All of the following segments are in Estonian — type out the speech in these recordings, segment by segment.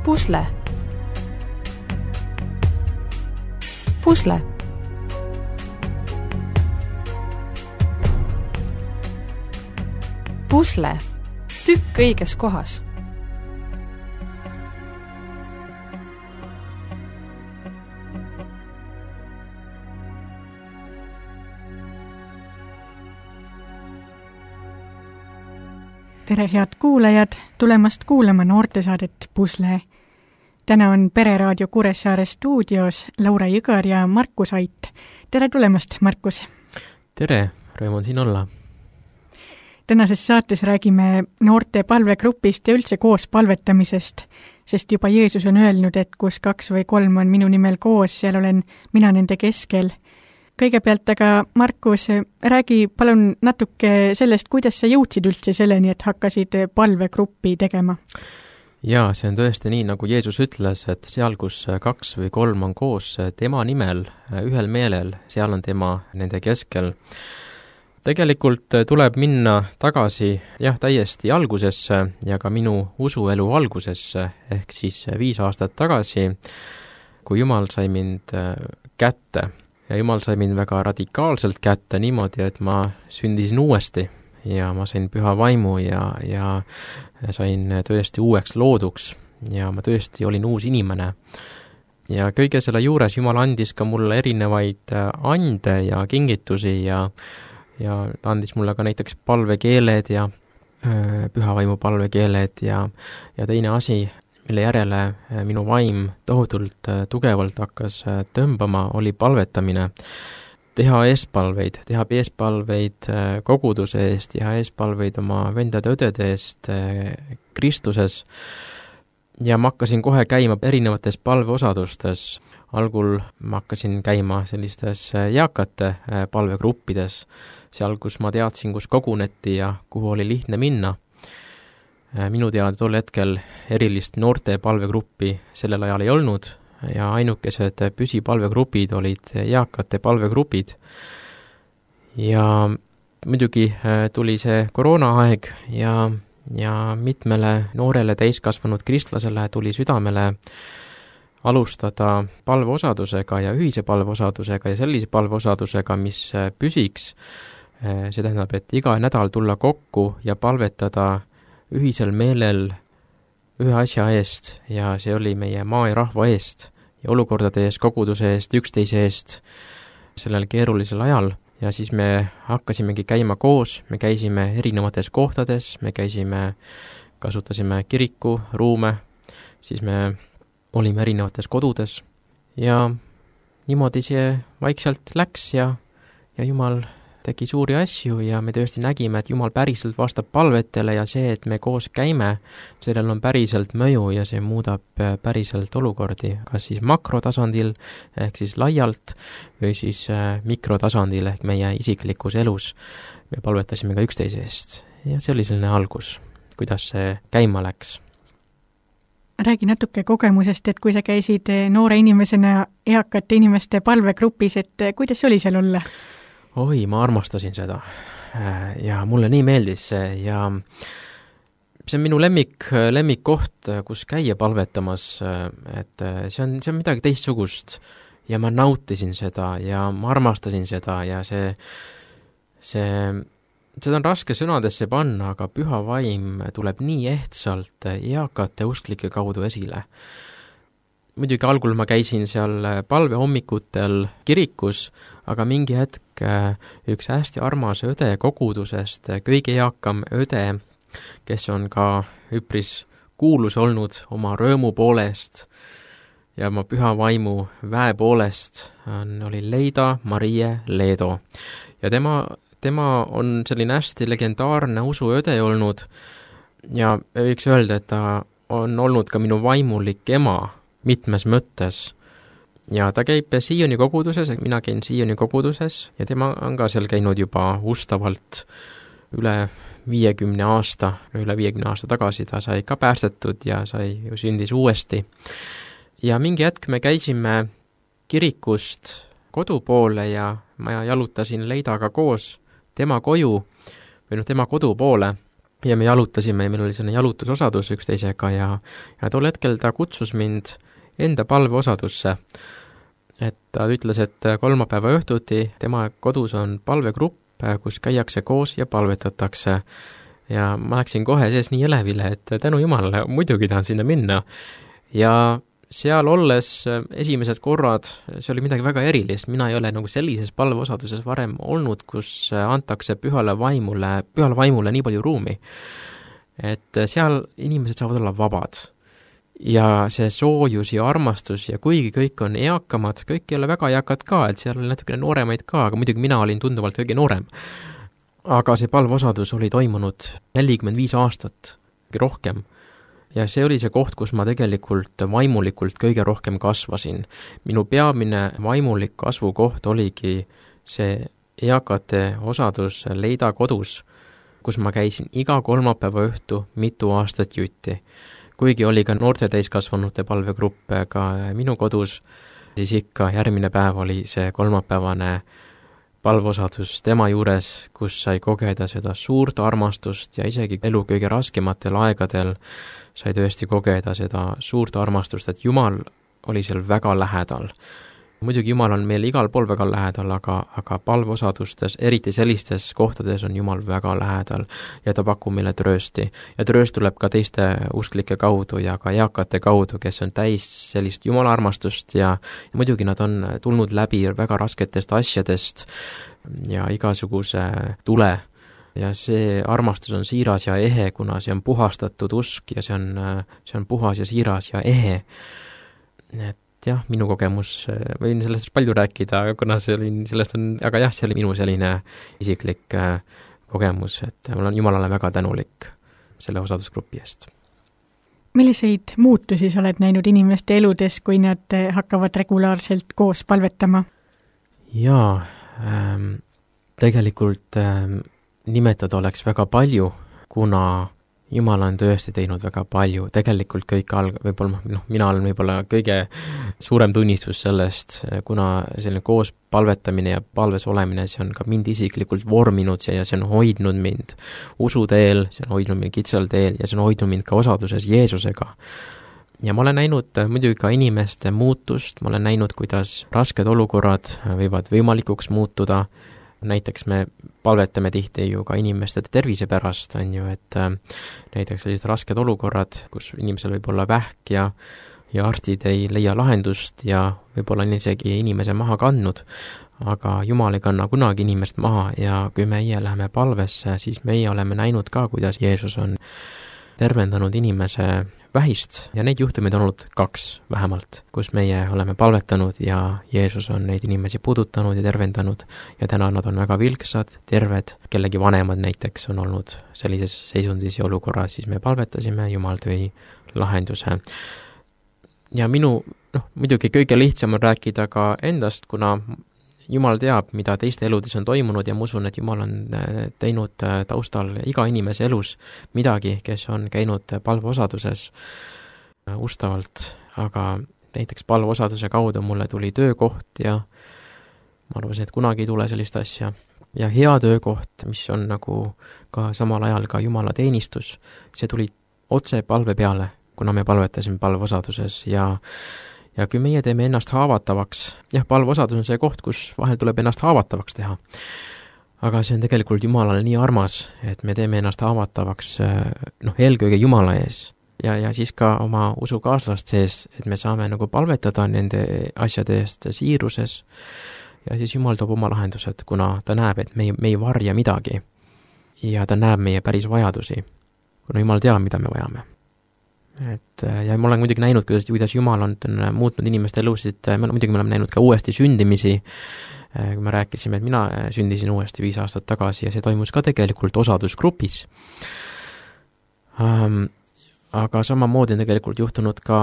Pusle. Pusle. Pusle. Tükk õiges kohas. Tere, head kuulajad, tulemast kuulama noortesaadet Pusle. Täna on Pereraadio Kuressaare stuudios Laura Jõgar ja Markus Ait. Tere tulemast, Markus! Tere, rõõm on siin olla. Tänases saates räägime noorte palvegrupist ja üldse koos palvetamisest, sest juba Jeesus on öelnud, et kus 2 või 3 on minu nimel koos, seal olen mina nende keskel. Kõigepealt aga, Markus, räägi palun natuke sellest, kuidas sa jõudsid üldse selleni, et hakkasid palvegruppi tegema? Jaa, see on tõesti nii, nagu Jeesus ütles, et seal, kus 2 või 3 on koos tema nimel, ühel meelel, seal on tema nende keskel. Tegelikult tuleb minna tagasi täiesti algusesse ja ka minu usuelu algusesse, ehk siis 5 aastat tagasi, kui Jumal sai mind kätte. Ja Jumal sai mind väga radikaalselt kätte niimoodi, et ma sündisin uuesti ja ma sain püha vaimu ja sain tõesti uueks looduks ja ma tõesti olin uus inimene. Ja kõige selle juures Jumal andis ka mulle erinevaid ande ja kingitusi ja ta andis mulle ka näiteks palvekeeled ja püha vaimu palvekeeled ja teine asi, mille järele minu vaim tohutult tugevalt hakkas tõmbama, oli palvetamine. Teha eespalveid koguduse eest, teha eespalveid oma vendade-õdede eest Kristuses. Ja ma hakkasin kohe käima erinevates palveosadustes. Algul ma hakkasin käima sellistes eakate palvegruppides, seal, kus ma teadsin, kus koguneti ja kuhu oli lihtne minna. Minu teada tol hetkel erilist noorte palvegruppi sellel ajal ei olnud ja ainukesed püsipalvegrupid olid eakate palvegrupid. Ja muidugi tuli see koroonaaeg ja mitmele noorele täiskasvanud kristlasele tuli südamele alustada palveosadusega ja ühise palveosadusega ja sellise palveosadusega, mis püsiks. See tähendab, et iga nädal tulla kokku ja palvetada ühisel meelel ühe asja eest ja see oli meie maa ja rahva eest ja olukordade eest, koguduse eest, üksteise eest sellel keerulisel ajal. Ja siis me hakkasimegi käima koos, me käisime erinevates kohtades, me kasutasime kiriku ruume, siis me olime erinevates kodudes ja niimoodi see vaikselt läks ja Jumal tegi suuri asju ja me tõesti nägime, et Jumal päriselt vastab palvetele ja see, et me koos käime, sellel on päriselt mõju ja see muudab päriselt olukordi, kas siis makrotasandil ehk siis laialt või siis mikrotasandil ehk meie isiklikus elus. Me palvetasime ka üksteise eest ja see oli selline algus, kuidas see käima läks. Räägi natuke kogemusest, et kui sa käisid noore inimesena eakate inimeste palvegrupis, et kuidas oli seal olla? Oi, ma armastasin seda ja mulle nii meeldis see ja see on minu lemmikkoht, kus käia palvetamas, et see on midagi teistsugust ja ma nautisin seda ja ma armastasin seda ja seda on raske sõnadesse panna, aga püha vaim tuleb nii ehtsalt eakate usklike kaudu esile. Muidugi algul ma käisin seal palvehommikutel kirikus, aga mingi hetk üks hästi armas õde kogudusest, kõige eakam õde, kes on ka üpris kuulus olnud oma rõõmu poolest ja oma püha vaimu väe poolest, oli Leida Marie Leedo. Ja tema on selline hästi legendaarne usuõde olnud ja võiks öelda, et ta on olnud ka minu vaimulik ema mitmes mõttes. Ja ta käib Sioni koguduses, mina käin Sioni koguduses ja tema on ka seal käinud juba ustavalt üle 50 aasta tagasi. Ta sai ka päästetud ja sündis uuesti. Ja mingi hetk me käisime kirikust kodu poole ja ma jalutasin Leidaga koos tema koju või tema kodu poole ja me jalutasime ja meil oli selline jalutusosadus üksteisega ja tol hetkel ta kutsus mind enda palveosadusse. Et ta ütles, et kolmapäeva õhtuti tema kodus on palvegrupp, kus käiakse koos ja palvetatakse. Ja ma läksin kohe sees nii elevile, et tänu Jumalale muidugi tahan sinna minna. Ja seal olles esimesed korrad, see oli midagi väga erilist, mina ei ole nagu sellises palveosaduses varem olnud, kus antakse pühale vaimule nii palju ruumi. Et seal inimesed saavad olla vabad. Ja see soojus ja armastus ja kuigi kõik on eakamad, kõik ei ole väga eakad ka, et seal oli natukene nooremaid ka, aga muidugi mina olin tunduvalt kõige noorem. Aga see palveosadus oli toimunud 45 aastat rohkem. Ja see oli see koht, kus ma tegelikult vaimulikult kõige rohkem kasvasin. Minu peamine vaimulik kasvukoht oligi see eakate osadus Leida kodus, kus ma käisin iga kolmapäeva õhtu mitu aastat jutti. Kuigi oli ka noorte täiskasvanute palvegrupp ka minu kodus, siis ikka järgmine päev oli see kolmapäevane palveosadus tema juures, kus sai kogeda seda suurt armastust ja isegi elu kõige raskematel aegadel sai tõesti kogeda seda suurt armastust, et Jumal oli seal väga lähedal. Muidugi Jumal on meil igal pool väga lähedal, aga palveosadustes, eriti sellistes kohtades on Jumal väga lähedal ja ta pakub meile tröösti. Ja trööst tuleb ka teiste usklike kaudu ja ka eakate kaudu, kes on täis sellist Jumala armastust ja muidugi nad on tulnud läbi väga rasketest asjadest ja igasuguse tule. Ja see armastus on siiras ja ehe, kuna see on puhastatud usk ja see on puhas ja siiras ja ehe. Et jah, minu kogemus, võin sellest palju rääkida, kuna aga jah, see oli minu selline isiklik kogemus, et mul on Jumalale väga tänulik selle osadusgrupi eest. Milliseid muutusi sa oled näinud inimeste eludes, kui nad hakkavad regulaarselt koos palvetama? Jaa, tegelikult nimetada oleks väga palju, kuna Jumal on tõesti teinud väga palju, tegelikult kõik võib-olla, mina olen võib-olla kõige suurem tunnistus sellest, kuna selline koos palvetamine ja palves olemine, see on ka mind isiklikult vorminud ja see on hoidnud mind usuteel, see on hoidnud mind kitsal teel ja see on hoidnud mind ka osaduses Jeesusega. Ja ma olen näinud muidugi ka inimeste muutust, ma olen näinud, kuidas rasked olukorrad võivad võimalikuks muutuda. Näiteks me palvetame tihti ju ka inimeste tervise pärast, on ju, et näiteks sellised rasked olukorrad, kus inimesel võib olla vähk ja arstid ei leia lahendust ja võib-olla on isegi inimese maha kandnud, aga Jumal ei kanna kunagi inimest maha ja kui meie läheme palvesse, siis meie oleme näinud ka, kuidas Jeesus on tervendanud inimese vähist ja neid juhtumeid on olnud 2 vähemalt, kus meie oleme palvetanud ja Jeesus on neid inimesi puudutanud ja tervendanud ja täna nad on väga vilksad, terved, kellegi vanemad näiteks on olnud sellises seisundis ja olukorras, siis me palvetasime, Jumal tõi lahenduse. Ja muidugi kõige lihtsam on rääkida ka endast, kuna Jumal teab, mida teiste eludes on toimunud ja ma usun, et Jumal on teinud taustal iga inimese elus midagi, kes on käinud palveosaduses ustavalt, aga näiteks palveosaduse kaudu mulle tuli töökoht ja ma arvasin, et kunagi ei tule sellist asja. Ja hea töökoht, mis on nagu ka samal ajal ka Jumala teenistus, see tuli otse palve peale, kuna me palvetasime palveosaduses ja kui meie teeme ennast haavatavaks, palveosadus on see koht, kus vahel tuleb ennast haavatavaks teha. Aga see on tegelikult Jumalale nii armas, et me teeme ennast haavatavaks eelkõige Jumala ees ja siis ka oma usukaaslast sees, et me saame nagu palvetada nende asjade eest siiruses ja siis Jumal toob oma lahendused, kuna ta näeb, et me ei varja midagi ja ta näeb meie päris vajadusi, kuna Jumal teab, mida me vajame. Ja ma olen muidugi näinud, kuidas Jumal on muutnud inimeste elusid, muidugi me oleme näinud ka uuesti sündimisi, kui me rääkisime, et mina sündisin uuesti 5 aastat tagasi ja see toimus ka tegelikult osadusgrupis. Aga samamoodi on tegelikult juhtunud ka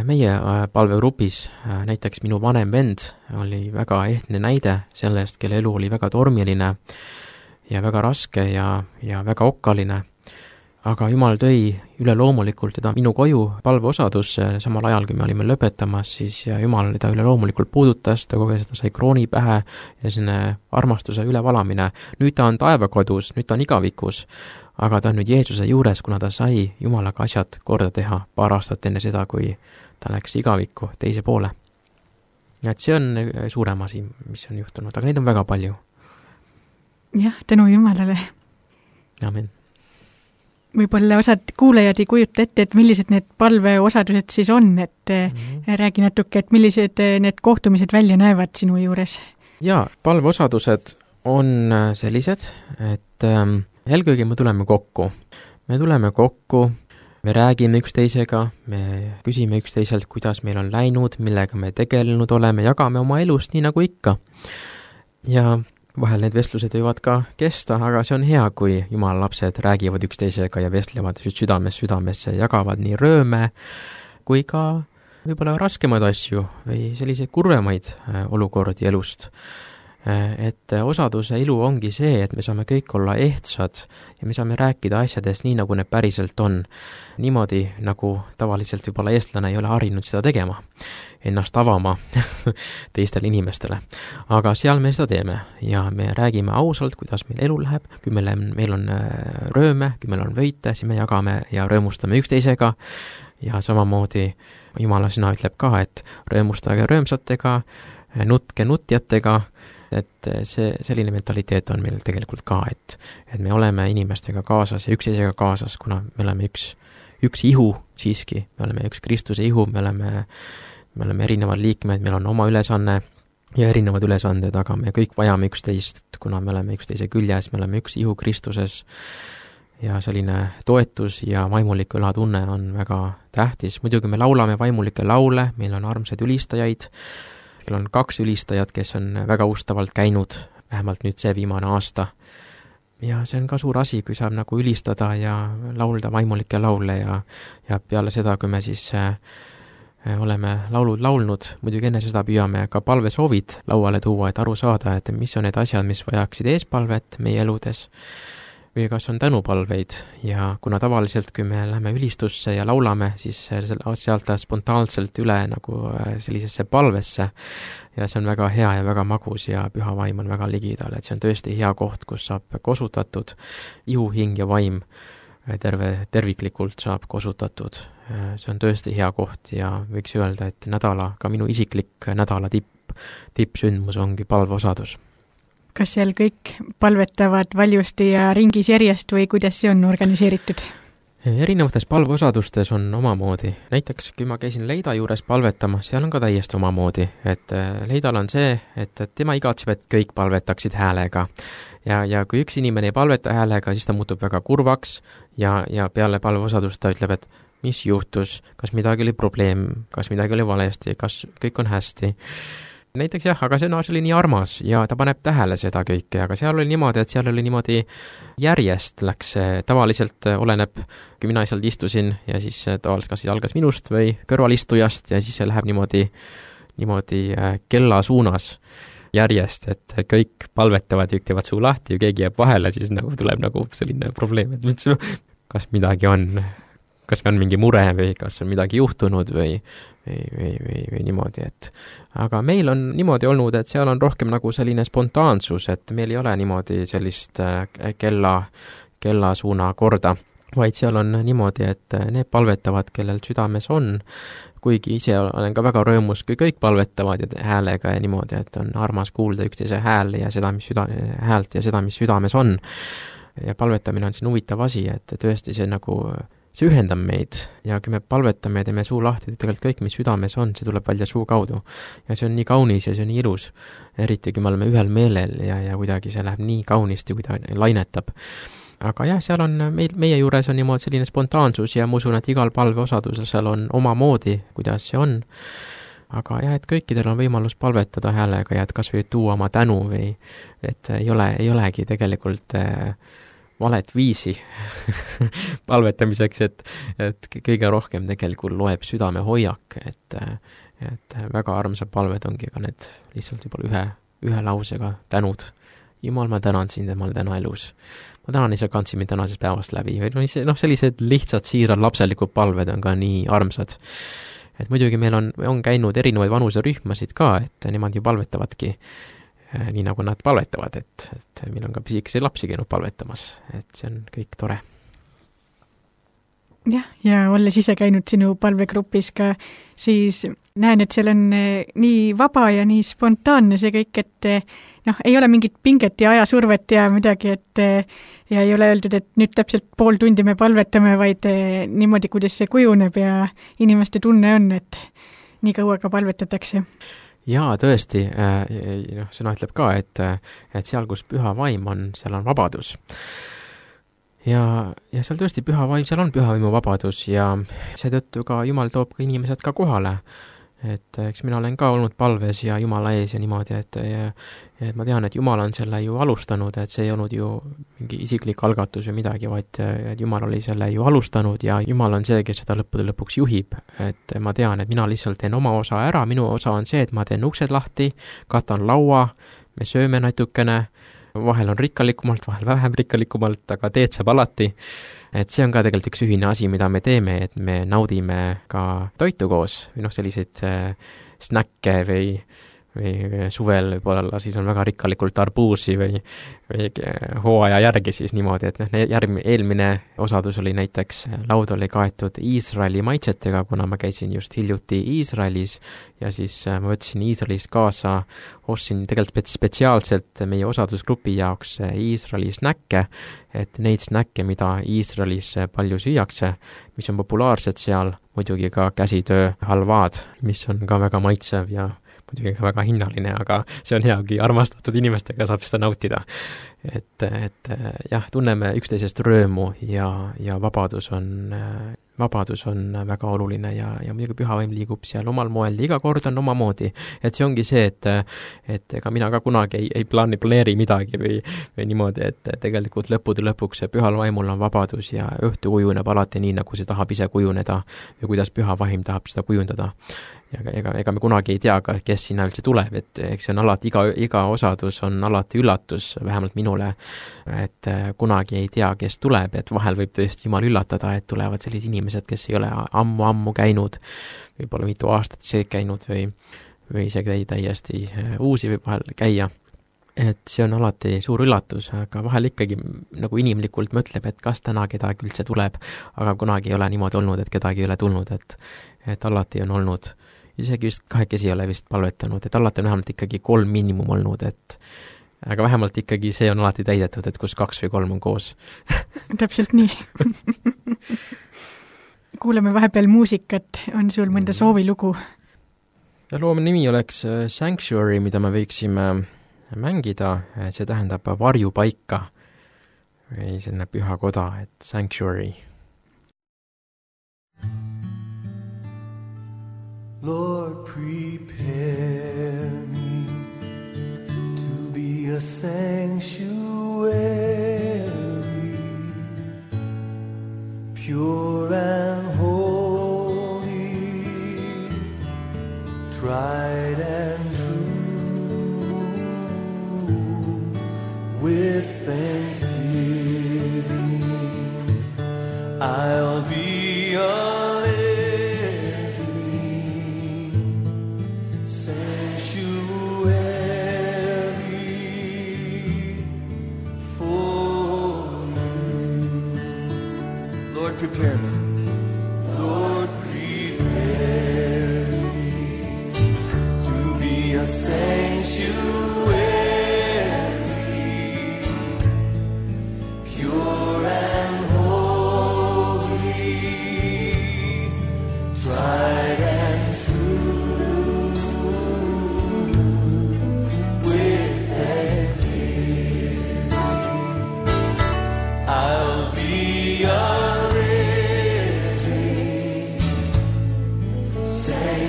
meie palvegrupis, näiteks minu vanem vend oli väga ehtne näide sellest, kelle elu oli väga tormiline ja väga raske ja väga okkaline. Aga Jumal tõi üleloomulikult teda minu koju palveosadusse, samal ajal, kui me olime lõpetamas, siis Jumal teda üleloomulikult puudutas, ta koges, ta sai krooni pähe ja selline armastuse ülevalamine. Nüüd ta on taevakodus, nüüd ta on igavikus, aga ta on nüüd Jeesuse juures, kuna ta sai Jumalaga asjad korda teha 2 aastat enne seda, kui ta läks igavikku teise poole. Et see on suurem asi, mis on juhtunud, aga neid on väga palju. Jah, tänu Jumalale. Amen. Võib-olla osad kuulajad ei kujuta ette, et millised need palveosadused siis on, et räägi natuke, et millised need kohtumised välja näevad sinu juures? Jaa, palveosadused on sellised, et eelkõige me tuleme kokku. Me räägime üksteisega, me küsime üksteiselt, kuidas meil on läinud, millega me tegelenud oleme, jagame oma elust nii nagu ikka. Ja vahel need vestlused võivad ka kesta, aga see on hea, kui Jumala lapsed räägivad üksteisega ja vestlevad südamesse, jagavad nii rööme kui ka võib-olla raskemaid asju või selliseid kurvemaid olukordi elust. Et osaduse ilu ongi see, et me saame kõik olla ehtsad ja me saame rääkida asjadest nii, nagu need päriselt on. Niimoodi, nagu tavaliselt võib-olla eestlane ei ole harinud seda tegema, ennast avama teistele inimestele. Aga seal me seda teeme ja me räägime ausalt, kuidas meil elu läheb, kui meil on rööme, kui meil on võite, siis me jagame ja rõõmustame üksteisega ja samamoodi Jumala sõna ütleb ka, et rõõmustage rõõmsatega, nutke nutjatega, et selline mentaliteet on meil tegelikult ka, et me oleme inimestega kaasas ja üksteisega kaasas, kuna me oleme üks ihu siiski, me oleme üks Kristuse ihu, me oleme erinevad liikmed, meil on oma ülesanne ja erinevad ülesanded, aga me kõik vajame üksteist, kuna me oleme üksteise küljes, me oleme üks ihu Kristuses ja selline toetus ja vaimulik õlatunne on väga tähtis. Muidugi me laulame vaimulikke laule, meil on armsaid ülistajaid, meil on 2 ülistajat, kes on väga ustavalt käinud, vähemalt nüüd see viimane aasta. Ja see on ka suur asi, kui saab nagu ülistada ja laulda vaimulikke laule ja peale seda, kui me siis oleme laulud laulnud, muidugi enne seda püüame ka palvesoovid lauale tuua, et aru saada, et mis on need asjad, mis vajaksid eespalvet meie eludes või kas on tänupalveid ja kuna tavaliselt, kui me läheme ülistusse ja laulame, siis sealt spontaanselt üle nagu sellisesse palvesse ja see on väga hea ja väga magus ja püha vaim on väga ligidal, et see on tõesti hea koht, kus saab kosutatud ihu, hing ja vaim terviklikult saab kosutatud. See on tõesti hea koht ja võiks öelda, et ka minu isiklik nädala tippsündmus ongi palveosadus. Kas seal kõik palvetavad valjusti ja ringis järjest või kuidas see on organiseeritud? Erinevates palveosadustes on omamoodi. Näiteks, kui ma käisin Leida juures palvetama, seal on ka täiesti omamoodi. Et Leidal on see, et tema igatseb, et kõik palvetaksid häälega. Ja kui üks inimene ei palveta häälega, siis ta muutub väga kurvaks ja peale palveosadust ta ütleb, et mis juhtus, kas midagi oli probleem, kas midagi oli valesti, kas kõik on hästi. Näiteks jah, aga see oli nii armas ja ta paneb tähele seda kõike, aga seal oli niimoodi järjest läks, tavaliselt oleneb, kui mina sealt istusin ja siis tavaliselt kas algas minust või kõrvalistujast ja siis see läheb niimoodi kella suunas järjest, et kõik palvetavad ja teevad suu lahti ja keegi jääb vahele, siis nagu tuleb nagu selline probleem, et kas midagi on, kas on mingi mure või kas on midagi juhtunud või niimoodi, et aga meil on niimoodi olnud, et seal on rohkem nagu selline spontaansus, et meil ei ole niimoodi sellist kellasuuna korda, vaid seal on niimoodi, et need palvetavad, kellel südames on, kuigi ise olen ka väga rõõmus, kui kõik palvetavad ja häälega ja niimoodi, et on armas kuulda üksteise hääl ja seda, häält ja seda, mis südames on. Ja palvetamine on siin huvitav asi, et tõesti see ühendab meid ja kui me palvetame ja teeme suu lahti, tegelikult kõik, mis südames on, see tuleb välja suu kaudu. Ja see on nii kaunis ja see on nii ilus, eriti kui me oleme ühel meelel ja kuidagi see läheb nii kaunisti, kui ta lainetab. Aga jah, seal on, meie juures on niimoodi selline spontaansus ja ma usun, et igal palveosadusel seal on omamoodi, kuidas see on. Aga jah, et kõikidel on võimalus palvetada häälega ja et kas või tuua oma tänu või et ei olegi tegelikult valet viisi palvetamiseks, et kõige rohkem tegelikult loeb südame hoiak, et väga armsad palved ongi ka need lihtsalt juba ühe lausega tänud. Jumal, ma tänan sind, et ma olen täna elus. Ma tänan, et sa kandsid mind tänasest päevast läbi. Sellised lihtsad siirad lapselikud palved on ka nii armsad. Et muidugi meil on käinud erinevaid vanuserühmasid ka, et nemad ju palvetavadki nii nagu nad palvetavad, et meil on ka pisikesi lapsi käinud palvetamas, et see on kõik tore. Jah, ja olles ise käinud sinu palvegrupis ka, siis näen, et seal on nii vaba ja nii spontaanne see kõik, et ei ole mingit pinget ja ajasurvet ja midagi, et ja ei ole öeldud, et nüüd täpselt pool tundi me palvetame, vaid niimoodi, kuidas see kujuneb ja inimeste tunne on, et nii kaua ka palvetatakse. Jaa, tõesti, sõna ütleb ka, et seal, kus püha vaim on, seal on vabadus. Ja seal tõesti püha vaim, seal on püha vaimu vabadus ja seetõttu ka Jumal toob ka inimesed ka kohale. Et eks mina olen ka olnud palves ja Jumala ees ja niimoodi, et ma tean, et Jumal on selle ju alustanud, et see ei olnud ju mingi isiklik algatus või midagi, vaid et Jumal oli selle ju alustanud ja Jumal on see, kes seda lõppude lõpuks juhib. Et ma tean, et mina lihtsalt teen oma osa ära, minu osa on see, et ma teen uksed lahti, katan laua, me sööme natukene, vahel on rikkalikumalt, vahel vähem rikkalikumalt, aga teed saab alati. Et see on ka tegelikult üks ühine asi, mida me teeme, et me naudime ka toitu koos või selliseid snäkke või suvel võib-olla siis on väga rikkalikult arbuusi või hooaja järgi siis niimoodi, et eelmine osadus oli näiteks, laud oli kaetud Iisraeli maitsetega, kuna ma käisin just hiljuti Iisraelis ja siis ma võtsin Iisraelist kaasa, ostsin tegelikult spetsiaalselt meie osadusgrupi jaoks Iisraeli snäkke, et neid snäkke, mida Iisraelis palju süüakse, mis on populaarsed seal, muidugi ka käsitöö halvaad, mis on ka väga maitsev ja muidugi ka väga hinnaline, aga see on hea, kui armastatud inimestega saab seda nautida. Et jah, tunneme üksteisest röömu ja vabadus on väga oluline ja muidugi pühavaim liigub seal omal moel, iga kord on omamoodi. Et see ongi see, et ega mina ka kunagi ei planeeri midagi või niimoodi, et tegelikult lõppude lõpuks pühal vaimul on vabadus ja õhtu kujuneb alati nii, nagu see tahab ise kujuneda ja kuidas püha vaim tahab seda kujundada. Ja ega me kunagi ei tea, kes sinna üldse tuleb, et eks see on alati, iga osadus on alati üllatus, vähemalt minule, et kunagi ei tea, kes tuleb, et vahel võib tõesti Jumal üllatada, et tulevad sellised inimesed, kes ei ole ammu käinud, võib-olla mitu aastat ise käinud või isegi täiesti uusi võib vahel käia. Et see on alati suur üllatus, aga vahel ikkagi nagu inimlikult mõtleb, et kas täna kedagi üldse tuleb, aga kunagi ei ole niimoodi olnud, et kedagi ei ole tulnud, et alati on olnud, isegi vist 2 ei ole vist palvetanud, et alati on vähemalt ikkagi 3 miinimum olnud, aga vähemalt ikkagi see on alati täidetud, et kus 2 või 3 on koos. Täpselt nii. Kuuleme vahepeal muusikat, on sul mõnda soovilugu? Ja loo nimi oleks Sanctuary, mida me võiksime mängida, see tähendab varjupaika või selline püha koda, et Sanctuary. Lord, prepare me to be a sanctuary, pure and holy, tried and true, with thanksgiving I'll be a prepare me, Lord, prepare me to be a sanctuary, pure and holy, tried and true, with thanksgiving I'll be a sanctuary,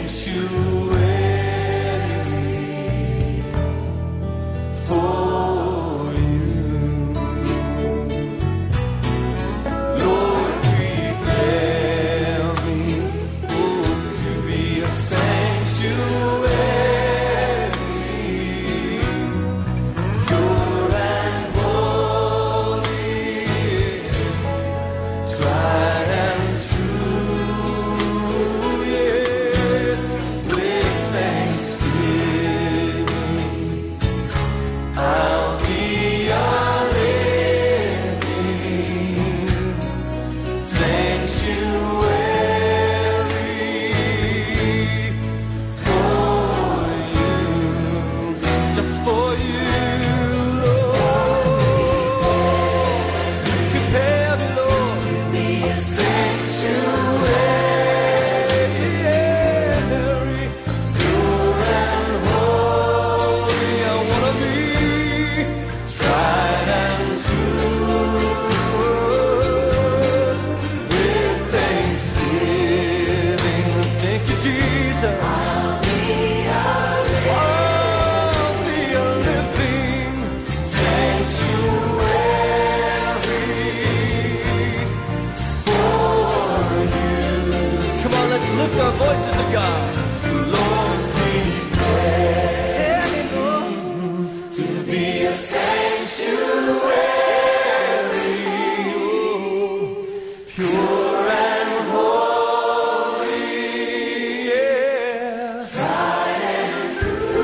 lift our voices to God. Lord, prepare me, Lord, to be a sanctuary, pure and holy, yeah. Tried and true.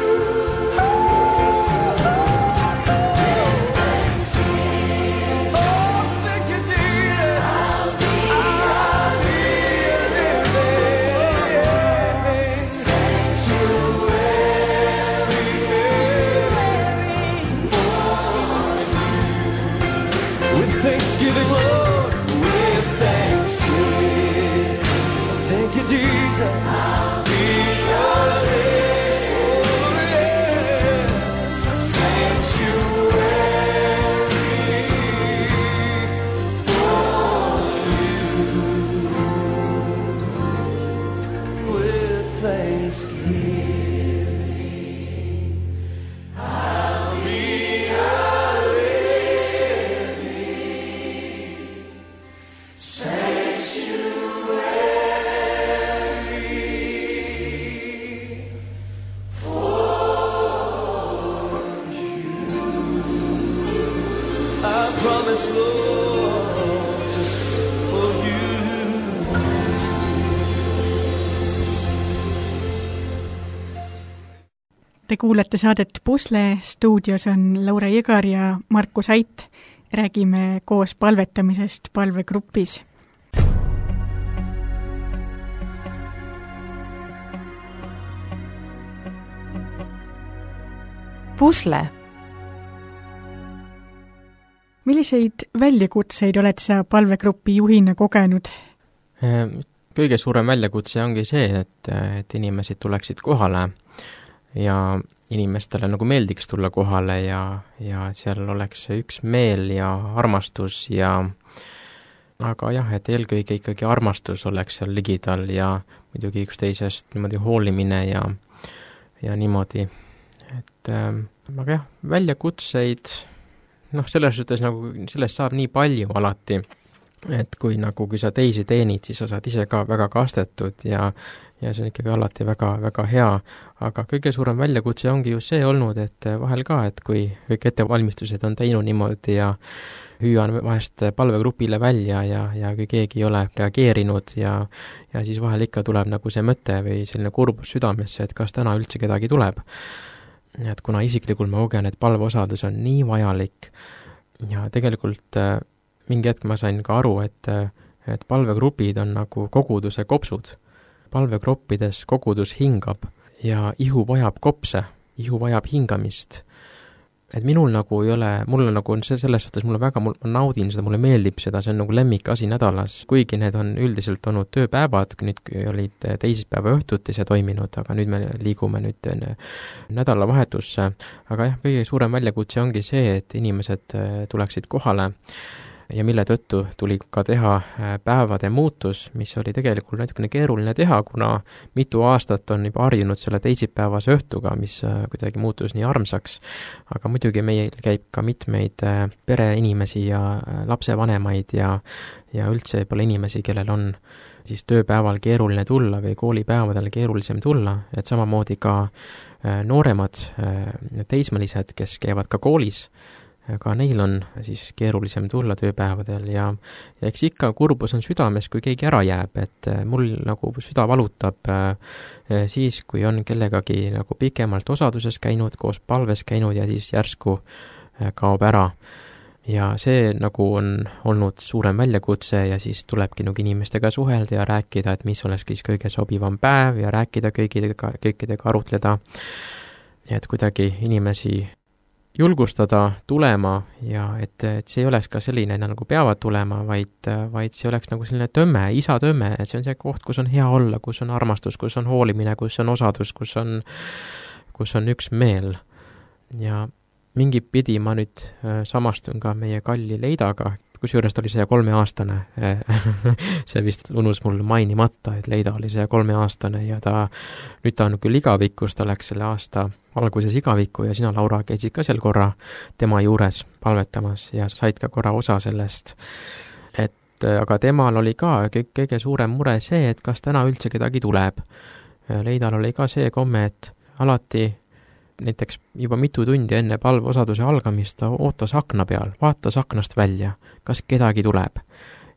Oh, thank you, Jesus. I'll be a living sanctuary with thanksgiving, Lord, with thanksgiving. Thank you, Jesus. I'll be yours. Oh, yes. Sanctuary for you. With thanksgiving, I'll be a living sanctuary for you. I promise, Lord, just for you. Te kuulete saadet Pusle, stuudios on Laura Jõgar ja Markus Ait. Räägime koos palvetamisest palvegrupis. Pusle. Milliseid väljakutseid oled sa palvegrupi juhina kogenud? Kõige suurem väljakutse ongi see, et inimesed tuleksid kohale ja inimestele nagu meeldiks tulla kohale ja seal oleks üks meel ja armastus ja aga jah, et eelkõige ikkagi armastus oleks seal ligidal ja muidugi üksteisest niimoodi hoolimine ja niimoodi, et aga jah, väljakutseid, selles suhtes nagu, sellest saab nii palju alati, et kui sa teisi teenid, siis sa saad ise ka väga kastetud ja see on ikkagi alati väga, väga hea, aga kõige suurem väljakutse ongi ju see olnud, et vahel ka, et kui kõik ettevalmistused on teinud niimoodi ja hüüan vahest palvegrupile välja ja kui keegi ei ole reageerinud ja siis vahel ikka tuleb nagu see mõte või selline kurbus südamesse, et kas täna üldse kedagi tuleb. Et kuna isiklikult ma kogen, et palveosadus on nii vajalik ja tegelikult mingi hetk ma sain ka aru, et palvegrupid on nagu koguduse kopsud. Palvegruppides kogudus hingab ja ihu vajab kopse, ihu vajab hingamist. Et minul nagu ei ole, mul nagu on selles suhtes, ma naudin seda, mulle meeldib seda, see on nagu lemmikasi nädalas, kuigi need on üldiselt olnud tööpäevad, nüüd olid teisipäeva õhtuti see toiminud, aga nüüd me liigume nüüd nädalavahetusse, aga jah, kõige suurem väljakutse ongi see, et inimesed tuleksid kohale ja mille tõttu tuli ka teha päevade muutus, mis oli tegelikult natukene keeruline teha, kuna mitu aastat on juba harjunud selle teisipäevase õhtuga, mis kuidagi muutus nii armsaks. Aga muidugi meil käib ka mitmeid pereinimesi ja lapsevanemaid ja üldse pole inimesi, kellel on siis tööpäeval keeruline tulla või koolipäevadel keerulisem tulla, et samamoodi ka nooremad teismelised, kes käivad ka koolis, aga neil on siis keerulisem tulla tööpäevadel ja eks ikka kurbus on südames, kui keegi ära jääb, et mul nagu süda valutab siis, kui on kellegagi nagu pikemalt osaduses käinud, koos palves käinud ja siis järsku kaob ära. Ja see nagu on olnud suurem väljakutse ja siis tulebki nagu inimestega suhelda ja rääkida, et mis oleks siis kõige sobivam päev ja rääkida kõikidega arutleda, et kuidagi inimesi julgustada tulema ja et see ei oleks ka selline, nagu peavad tulema, vaid see oleks nagu selline tömme, isa tömme, et see on see koht, kus on hea olla, kus on armastus, kus on hoolimine, kus on osadus, kus on üks meel. Ja mingi pidi ma nüüd samastun ka meie kalli Leidaga, kusjuures ta oli 103-aastane. See vist unus mul mainimata, et Leida oli 103-aastane ja nüüd ta on küll igavikus, ta läks selle aasta alguses igavikku ja sina, Laura, käisid ka seal korra tema juures palvetamas ja said ka korra osa sellest. Et aga temal oli ka kõige suurem mure see, et kas täna üldse kedagi tuleb. Leidal oli ka see komme, et alati näiteks juba mitu tundi enne palveosaduse algamist ta ootas akna peal, vaatas aknast välja, kas kedagi tuleb.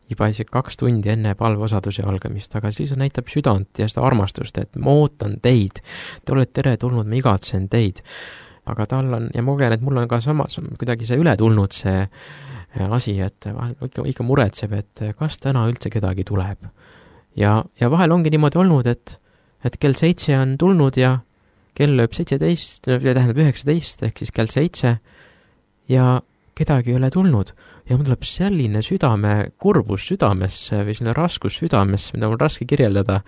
Juba isegi 2 tundi enne palveosaduse algamist, aga siis näitab südant ja seda armastust, et ma ootan teid, te olete tere tulnud, ma igatsen teid. Aga tal on, ja ma kogen, et mul on ka samas kuidagi see üle tulnud see asi, et vahel ikka muretseb, et kas täna üldse kedagi tuleb. Ja vahel ongi niimoodi olnud, et kell 7 on tulnud ja kell lööb 17, tähendab 19, ehk siis kell 7 ja kedagi ei ole tulnud. Ja mul tuleb selline kurbus südamesse või selline raskus südamesse, mida mul raske kirjeldada.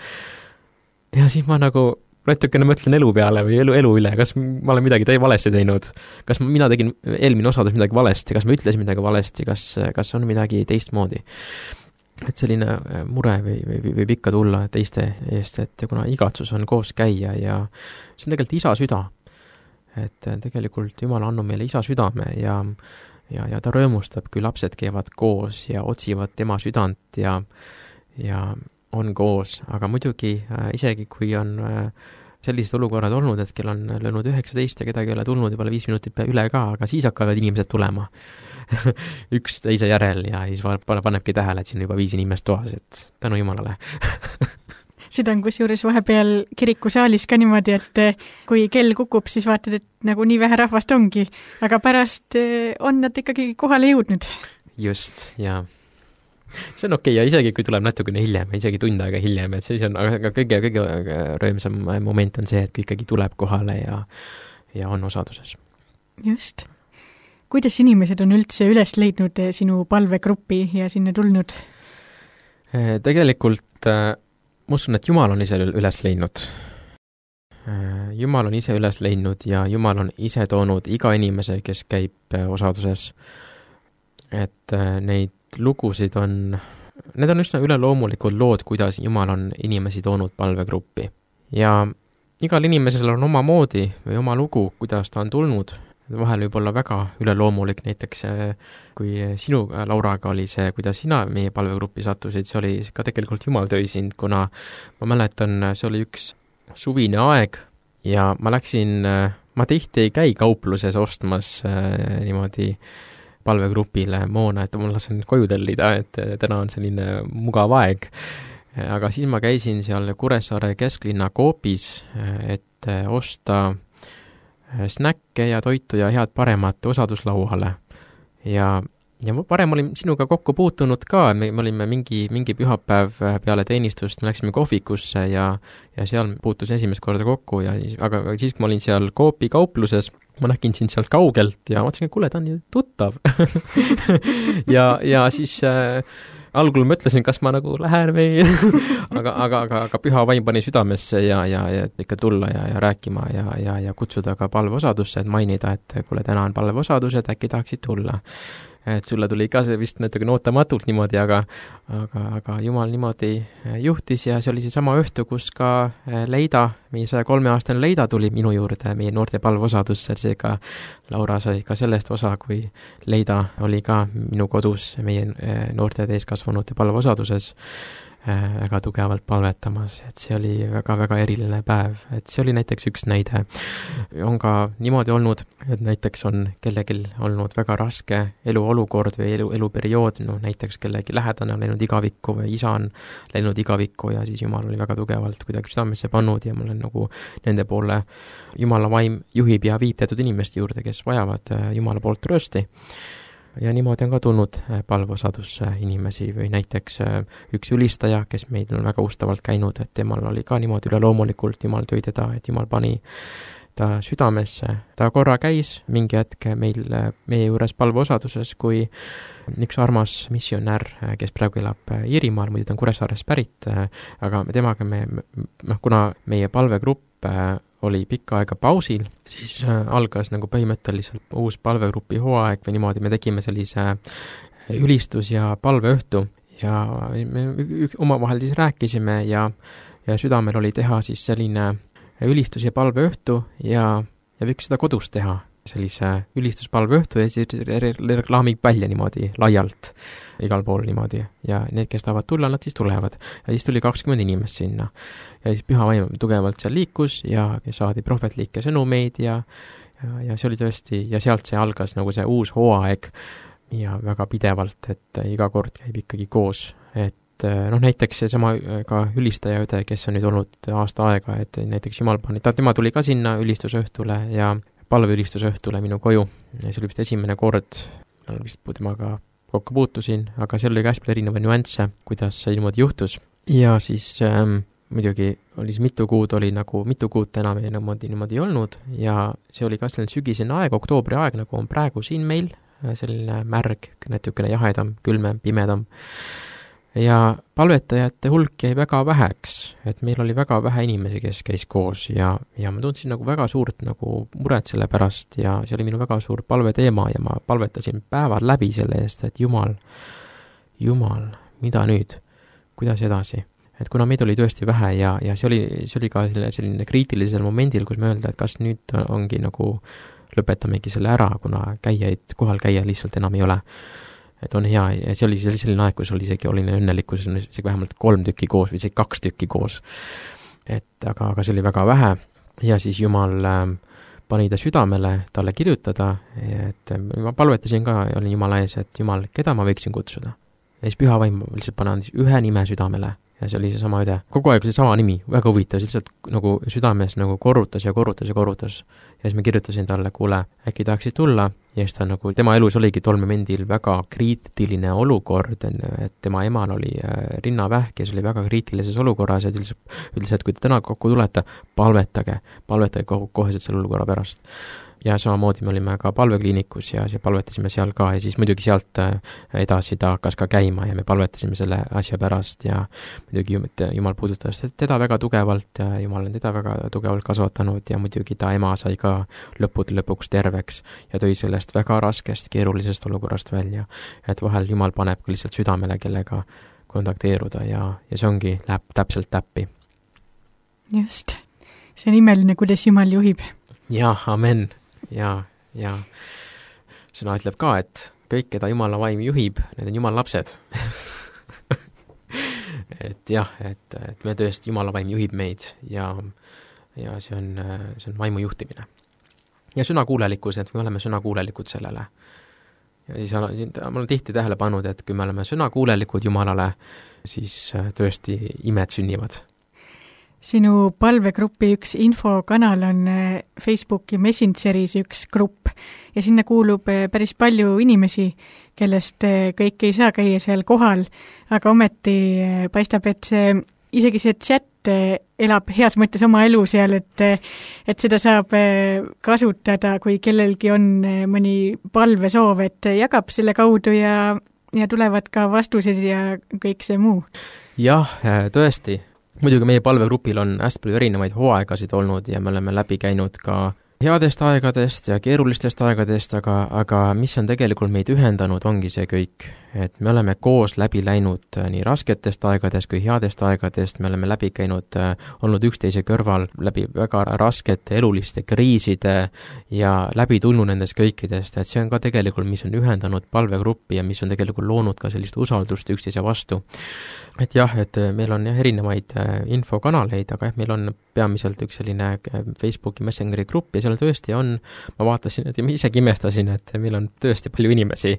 Ja siis ma nagu natukene mõtlen elu peale või elu üle, kas ma olen midagi valesti teinud, kas mina tegin eelmine osadus midagi valesti, kas ma ütlesin midagi valesti, kas on midagi teistmoodi. Et selline mure võib ikka tulla teiste eest, et kuna igatsus on koos käia ja see on tegelikult isa süda. Et tegelikult Jumal on andnud meile isa südame ja ta rõõmustab, kui lapsed käivad koos ja otsivad tema südant ja on koos, aga muidugi isegi kui on sellised olukorrad olnud, et kell on löönud 19 ja kedagi ei ole tulnud juba 5 minutit üle ka, aga siis hakkavad inimesed tulema üks teise järel ja siis panebki tähele, et siin juba 5 inimest toas, et tänu Jumalale. Seda on kusjuures vahepeal kirikusaalis ka niimoodi, et kui kell kukub, siis vaatad, et nagu nii vähe rahvast ongi, aga pärast on nad ikkagi kohale jõudnud. Just, ja see on okei, ja isegi kui tuleb natukene hiljem, isegi tund aega hiljem, et siis on, aga kõige rõõmsam moment on see, et kui ikkagi tuleb kohale ja on osaduses. Just. Kuidas inimesed on üldse üles leidnud sinu palvegruppi ja sinna tulnud? Tegelikult ma usun, et Jumal on ise üles leidnud. Jumal on ise üles leidnud ja Jumal on ise toonud iga inimese, kes käib osaduses. Et neid lugusid need on üsna üleloomulikud lood, kuidas Jumal on inimesi toonud palvegruppi. Ja igal inimesel on oma moodi või oma lugu, kuidas ta on tulnud. Vahel võib olla väga üleloomulik, näiteks kui sinu, Lauraga, oli see, kuidas sina meie palvegruppi sattusid, see oli ka tegelikult Jumal tõi sind, kuna ma mäletan, see oli üks suvine aeg ja ma tihti ei käi kaupluses ostmas niimoodi palvegrupile moona, et ma lasen koju tellida, et täna on selline mugav aeg. Aga siis ma käisin seal Kuressaare kesklinna Coopis, et osta snäkke ja toitu ja head paremat osaduslauale. Ja parem olin sinuga kokku puutunud ka, me olime mingi pühapäev peale teenistust, me läksime kohvikusse ja seal puutus esimest korda kokku, aga siis, kui ma olin seal Coopi kaupluses, ma nägin sind sealt kaugelt ja mõtlesin, et kuule, ta on ju tuttav. ja siis algul mõtlesin, kas ma nagu lähen või aga püha vaim pani südamesse ja ikka tulla ja rääkima ja kutsuda ka palveosadusse, et mainida, et kuule, täna on palveosadus, et äkki tahaksid tulla. Et sulle tuli ka see vist natuke ootamatult niimoodi, aga Jumal niimoodi juhtis ja see oli see sama õhtu, kus ka Leida, meie 103-aastane Leida tuli minu juurde meie noorte palveosadusse, seega Laura sai ka sellest osa, kui Leida oli ka minu kodus meie noorte täiskasvanute palveosaduses väga tugevalt palvetamas, et see oli väga-väga eriline päev, et see oli näiteks üks näide. On ka niimoodi olnud, et näiteks on kellelgi olnud väga raske eluolukord või eluperiood, näiteks kellegi lähedane on läinud igavikku või isa on läinud igavikku ja siis Jumal oli väga tugevalt kuidagi südamesse pannud ja mul on nagu nende poole Jumala vaim juhib ja viib teatud inimeste juurde, kes vajavad Jumala poolt tröösti. Ja niimoodi on ka tulnud palveosadusse inimesi või näiteks üks ülistaja, kes meil on väga ustavalt käinud, et temal oli ka niimoodi üleloomulikult, Jumal tõi teda, et Jumal pani ta südamesse. Ta korra käis mingi hetk meie juures palveosaduses, kui üks armas missionär, kes praegu elab Iirimaal, muidu ta on Kuressaarest pärit, aga temaga kuna meie palvegrupp oli pikka aega pausil, siis algas nagu põhimõtteliselt uus palvegrupi hooaeg või niimoodi, me tegime sellise ülistus- ja palveõhtu ja me omavahel siis rääkisime ja südamel oli teha siis selline ülistus- ja palveõhtu ja võiks seda kodus teha. sellise ülistuspalve õhtu ja siis reklaamib välja niimoodi laialt igal pool niimoodi ja need, kes tahavad tulla, nad siis tulevad. Ja siis tuli 20 inimest sinna. Ja siis püha vaim tugevalt seal liikus ja saadi prohvetlikke sõnumeid ja see oli tõesti, ja sealt see algas nagu see uus hooaeg ja väga pidevalt, et iga kord käib ikkagi koos. Et näiteks seesama ka ülistaja õde, kes on nüüd olnud aasta aega, et näiteks Jumal pani, tema tuli ka sinna ülistusõhtule ja palveülistusõhtule minu koju. Ja see oli vist esimene kord, vist temaga kokku puutusin, aga seal oli ka hästi palju erinevaid nüansse, kuidas see niimoodi juhtus. Ja siis muidugi oli see mitu kuud enam niimoodi olnud ja see oli ka selline sügisene aeg, oktoobri aeg, nagu on praegu siin meil, selline märg, natukene jahedam, külmem, pimedam. Ja palvetajate hulk jäi väga väheks, et meil oli väga vähe inimesi, kes käis koos ja ma tundsin nagu väga suurt nagu muret selle pärast ja see oli minu väga suur palveteema ja ma palvetasin päeval läbi selle eest, et Jumal, mida nüüd, kuidas edasi? Et kuna meid oli tõesti vähe ja see oli ka selline kriitilisel momendil, kus me öelda, et kas nüüd ongi nagu lõpetamegi selle ära, kuna kohal käia lihtsalt enam ei ole. Et on hea ja see oli selline aeg, kus oli isegi õnnelikkus, isegi vähemalt 3 tükki koos või isegi 2 tükki koos. Et aga see oli väga vähe ja siis Jumal pani ta südamele talle kirjutada, et ma palvetasin ka, olin Jumala ees, et Jumal, keda ma võiksin kutsuda. Ja siis püha vaim lihtsalt pani ühe nime südamele ja see oli see sama õde. Kogu aeg oli sama nimi, väga huvitav, lihtsalt nagu südames nagu korrutas. Ja siis ma kirjutasin talle, kuule, äkki tahaksid tulla? Ja siis ta nagu, tema elus oligi tol momendil väga kriitiline olukord, et tema emal oli rinnavähk ja see oli väga kriitilises olukorras ja ütles, et kui te täna kokku tulete, palvetage koheselt selle olukorra pärast. Ja samamoodi me olime ka palvekliinikus ja palvetasime seal ka ja siis muidugi sealt edasi ta hakkas ka käima ja me palvetasime selle asja pärast ja muidugi Jumal puudutas teda väga tugevalt ja Jumal on teda väga tugevalt kasvatanud ja muidugi ta ema sai ka lõpuks terveks ja tõi sellest väga raskest, keerulisest olukorrast välja. Et vahel Jumal paneb ka lihtsalt südamele, kellega kontakteeruda ja see ongi, läheb täpselt täppi. Just. See on imeline, kuidas Jumal juhib. Ja, amen. Ja sõna ütleb ka, et kõik, keda Jumala vaim juhib, need on Jumala lapsed. et jah, et me tõesti, Jumala vaim juhib meid ja see on vaimu juhtimine. Ja sõnakuulelikkus, et me oleme sõnakuulelikud sellele. Ja siis ma olen tihti tähele pannud, et kui me oleme sõnakuulelikud Jumalale, siis tõesti imed sünnivad. Sinu palvegrupi üks infokanal on Facebooki Messengeris üks grupp ja sinna kuulub päris palju inimesi, kellest kõik ei saa käia seal kohal, aga ometi paistab, et isegi see chat elab heas mõttes oma elu seal, et seda saab kasutada, kui kellelgi on mõni palvesoov, et jagab selle kaudu ja tulevad ka vastused ja kõik see muu. Jah, tõesti. Muidugi meie palvegrupil on hästi palju erinevaid hooaegasid olnud ja me oleme läbi käinud ka headest aegadest ja keerulistest aegadest, aga mis on tegelikult meid ühendanud, ongi see kõik. Et me oleme koos läbi läinud nii rasketest aegadest kui headest aegadest, me oleme läbi käinud, olnud üksteise kõrval läbi väga raskete eluliste kriiside ja läbi tulnud nendest kõikidest, et see on ka tegelikult, mis on ühendanud palvegruppi ja mis on tegelikult loonud ka sellist usaldust üksteise vastu. Et jah, et meil on erinevaid infokanaleid, aga meil on peamiselt üks selline Facebooki Messengeri grupp ja seal tõesti on, ma vaatasin, et ma isegi imestasin, et meil on tõesti palju inimesi,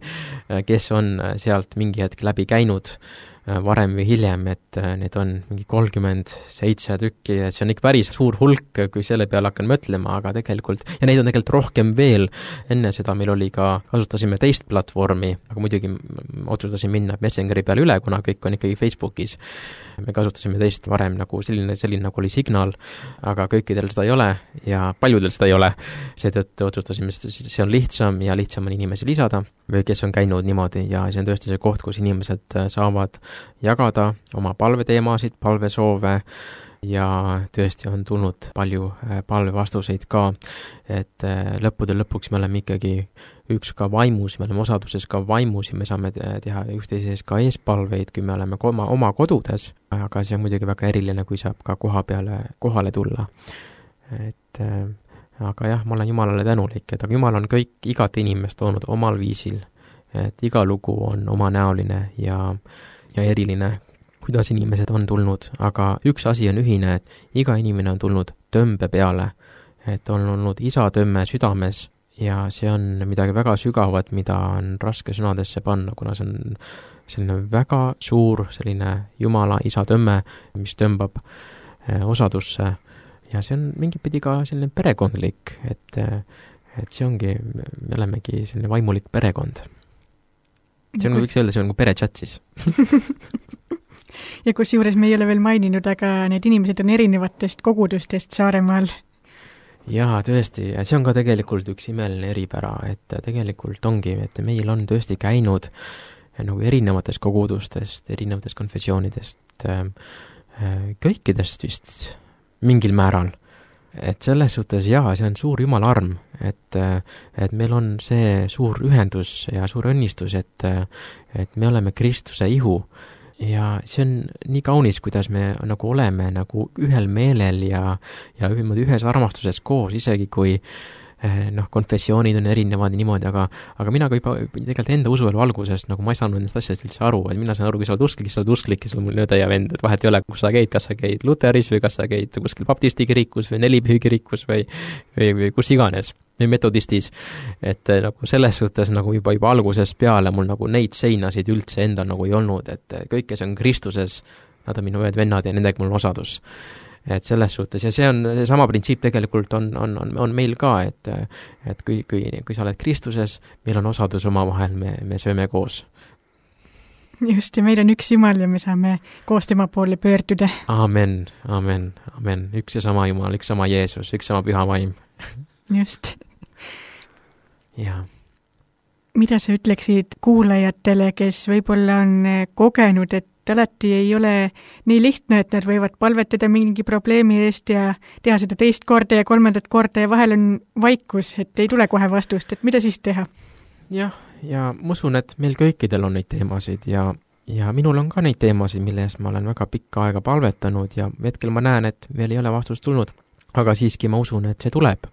kes on sealt mingi hetk läbi käinud varem või hiljem, et need on mingi 37 tükki, et see on ikka päris suur hulk, kui selle peale hakkan mõtlema, aga tegelikult, ja neid on tegelikult rohkem veel. Enne seda meil oli ka, kasutasime teist platvormi, aga muidugi otsustasin minna Messengeri peale üle, kuna kõik on ikkagi Facebookis. Me kasutasime teist varem nagu selline nagu oli Signal, aga kõikidel seda ei ole ja paljudel seda ei ole. Seetõttu otsustasime, see on lihtsam ja lihtsam on inimesi lisada või kes on käinud niimoodi ja see on tõesti see koht, kus inimesed saavad jagada oma palveteemasid, palvesoove ja tõesti on tulnud palju palvevastuseid ka, et lõppude lõpuks me oleme ikkagi üks ka vaimus, me oleme osaduses ka vaimus ja me saame teha üksteise ees ka eespalveid, kui me oleme oma kodudes, aga see on muidugi väga eriline, kui saab ka kohale tulla. Et aga jah, ma olen Jumalale tänulik, et aga Jumal on igat inimest toonud omal viisil, et iga lugu on omanäoline ja eriline, kuidas inimesed on tulnud, aga üks asi on ühine, et iga inimene on tulnud tõmbe peale, et on olnud isa tõmme südames ja see on midagi väga sügavat, mida on raske sõnadesse panna, kuna see on selline väga suur selline Jumala isa tõmme, mis tõmbab osadusse ja see on mingit pidi ka selline perekondlik, et see ongi, me olemegi selline vaimulik perekond. See on, võiks öelda, see on nagu perechat siis. Ja kus juures me ei ole veel maininud, aga need inimesed on erinevatest kogudustest Saaremaal. Jaa, tõesti, ja see on ka tegelikult üks imeline eripära, et tegelikult ongi, et meil on tõesti käinud nagu erinevatest kogudustest, erinevatest konfessioonidest, kõikidest vist mingil määral. Et selles suhtes jaa, see on suur Jumala arm, et meil on see suur ühendus ja suur õnnistus, et me oleme Kristuse ihu ja see on nii kaunis, kuidas me nagu oleme nagu ühel meelel ja ühes armastuses koos, isegi kui konfessioonid on erinevad ja niimoodi, aga mina ka juba tegelikult enda usuelu algusest, nagu ma ei saanud nendest asjadest üldse aru, et mina saan aru, kui sa oled usklik, siis sa oled usklik ja sul on mul nõde ja vend, et vahet ei ole, kus sa käid, kas sa käid Luteris või kas sa käid kuskil baptisti kirikus või nelipühi kirikus või kus iganes, või metodistis, et nagu selles suhtes nagu juba algusest peale mul nagu neid seinasid üldse endal nagu ei olnud, et kõik, kes on Kristuses, nad on minu ühed vennad ja nendega mul on osadus. Et selles suhtes, ja see on sama printsiip tegelikult on meil ka, et kui sa oled Kristuses, meil on osadus omavahel, me sööme koos. Just, ja meil on üks Jumal ja me saame koos tema poole pöörduda. Amen, amen, amen. Üks ja sama Jumal, üks sama Jeesus, üks sama püha vaim. Just. Ja. Mida sa ütleksid kuulajatele, kes võib-olla on kogenud, et alati ei ole nii lihtne, et nad võivad palvetada mingi probleemi eest ja teha seda teist korda ja kolmandat korda ja vahel on vaikus, et ei tule kohe vastust, et mida siis teha? Jah, ja ma usun, et meil kõikidel on neid teemasid ja minul on ka neid teemasid, mille eest ma olen väga pikka aega palvetanud ja hetkel ma näen, et veel ei ole vastust tulnud, aga siiski ma usun, et see tuleb.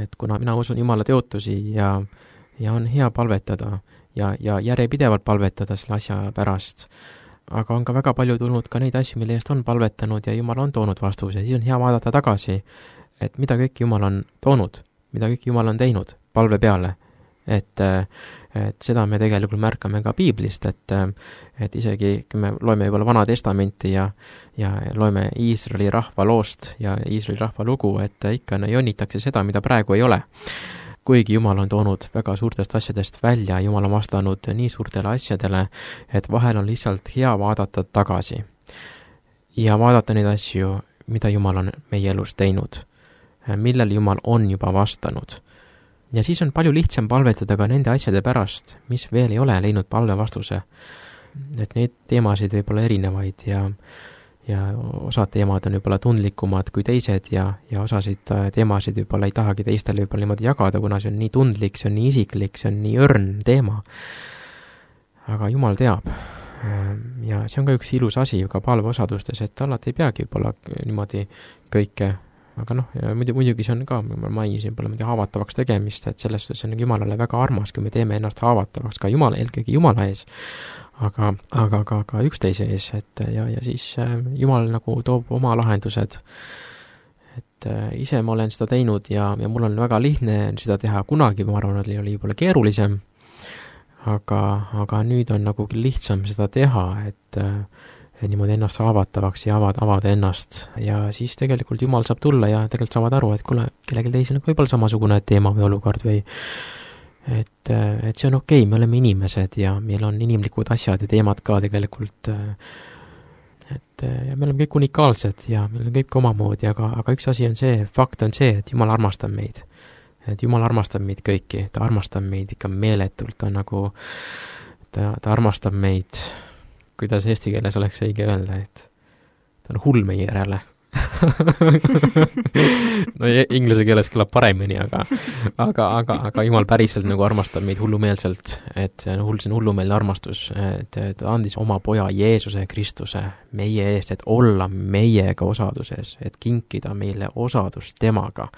Et kuna mina usun Jumala teotusi ja on hea palvetada ja järjepidevalt palvetada selle asja pärast, aga on ka väga palju tulnud ka neid asju, mille eest on palvetanud ja Jumal on toonud vastuse, siis on hea vaadata tagasi, et mida kõik Jumal on toonud, mida kõik Jumal on teinud palve peale. Et seda me tegelikult märkame ka Piiblist, et isegi kui me loeme juba Vana Testamenti ja loeme Iisraeli rahva loost ja Iisraeli rahva lugu, et ikka jonnitakse seda, mida praegu ei ole. Kuigi Jumal on toonud väga suurtest asjadest välja, Jumal on vastanud nii suurtele asjadele, et vahel on lihtsalt hea vaadata tagasi ja vaadata neid asju, mida Jumal on meie elus teinud, millel Jumal on juba vastanud. Ja siis on palju lihtsam palvetada ka nende asjade pärast, mis veel ei ole leidnud palve vastuse. Et neid teemasid võib olla erinevaid ja osad teemad on võib-olla tundlikumad kui teised ja osasid teemasid võib-olla ei tahagi teistele võib-olla niimoodi jagada, kuna see on nii tundlik, see on nii isiklik, see on nii õrn teema. Aga Jumal teab. Ja see on ka üks ilus asi ka palveosadustes, et alati ei peagi võib-olla niimoodi kõike, aga muidugi see on ka, ma mainisin, pole haavatavaks tegemist, et sellest see on Jumalale väga armas, kui me teeme ennast haavatavaks ka eelkõige Jumala ees, aga ka üksteise ees, et ja siis Jumal nagu toob oma lahendused. Et ise ma olen seda teinud ja mul on väga lihtne seda teha, kunagi ma arvan, oli võib-olla keerulisem, aga nüüd on nagu lihtsam seda teha, et niimoodi ennast haavatavaks ja avada ennast ja siis tegelikult Jumal saab tulla ja tegelikult saavad aru, et kuule, kellelgi teisel on võib-olla samasugune teema või olukord või et see on okei, me oleme inimesed ja meil on inimlikud asjad ja teemad ka tegelikult, et me oleme kõik unikaalsed ja meil on kõik omamoodi, aga üks asi on see, fakt on see, et Jumal armastab meid. Et Jumal armastab meid kõiki, ta armastab meid ikka meeletult, ta nagu, ta armastab meid, kuidas eesti keeles oleks õige öelda, et ta on hull meie järele. No inglise keeles kõlab paremini, aga Jumal päriselt nagu armastab meid hullumeelselt, et see on hullumeelne armastus, et ta andis oma poja Jeesuse Kristuse meie eest, et olla meiega osaduses, et kinkida meile osadust temaga.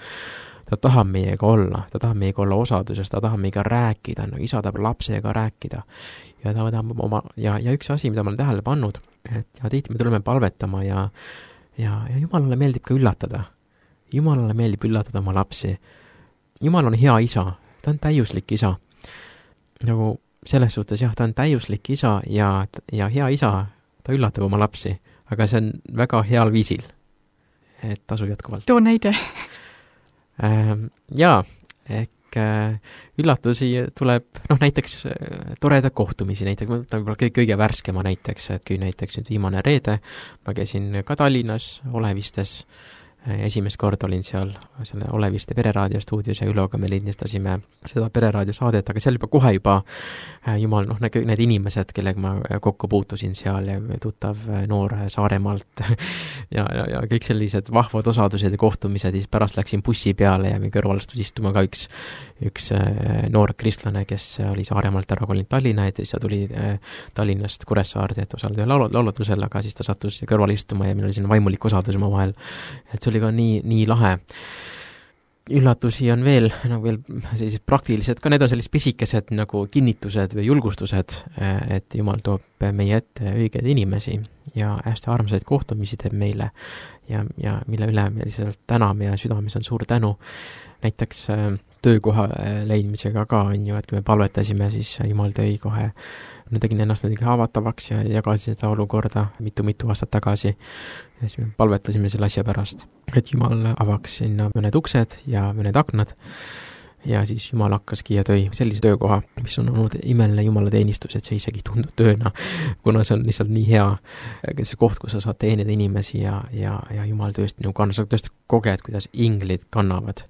ta tahab meiega olla osaduses, ta tahab meiega rääkida, no isa tahab lapsega rääkida. Ja ta tahab ja üks asi, mida ma olen tähele pannud, et ja tihti me tuleme palvetama ja Jumalale meeldib ka üllatada. Jumalale meeldib üllatada oma lapsi. Jumal on hea isa, ta on täiuslik isa. Nagu selles suhtes jah, ta on täiuslik isa ja hea isa, ta üllatab oma lapsi, aga see on väga heal viisil. Et tasub jätkuvalt. Too näide. Jaa, üllatusi tuleb, näiteks toreda kohtumisi, näiteks ma võtan võib-olla kõige värskema näiteks, et kui näiteks nüüd viimane reede, ma käisin ka Tallinnas Olevistes, esimest kord olin seal selle Oleviste pereraadio stuudios ja Üloga me lindistasime seda pereraadio saadet, aga seal kohe Jumal, need inimesed, kellega ma kokku puutusin seal ja tuttav noor Saaremaalt ja kõik sellised vahvad osadused ja kohtumised, siis pärast läksin bussi peale ja meie kõrvalastus istuma ka üks noor kristlane, kes oli Saaremaalt ära kolinud Tallinna, et siis ta tuli Tallinnast Kuressaarde, et osaleda laulutusel, aga siis ta sattus kõrval istuma ja meil oli siin vaimulik osadus oma vahel, et see oli ka nii lahe. Üllatusi on veel sellised praktilised, ka need on sellised pisikesed nagu kinnitused või julgustused, et Jumal toob meie ette õigeid inimesi ja hästi armsaid kohtumisi teeb meile ja mille üle me lihtsalt täname ja südames on suur tänu. Näiteks töökoha leidmisega ka on ju, et kui me palvetasime, siis Jumal tõi kohe, tegin ennast muidugi haavatavaks ja jagasin seda olukorda mitu aastat tagasi. Ja siis me palvetasime selle asja pärast, et Jumal avaks sinna mõned uksed ja mõned aknad ja siis Jumal hakkaski ja tõi sellise töökoha, mis on olnud imeline Jumala teenistus, et see isegi tundub tööna, kuna see on lihtsalt nii hea, see koht, kus sa saad teenida inimesi ja Jumal tõesti sa tõesti koged, kuidas inglid kannavad,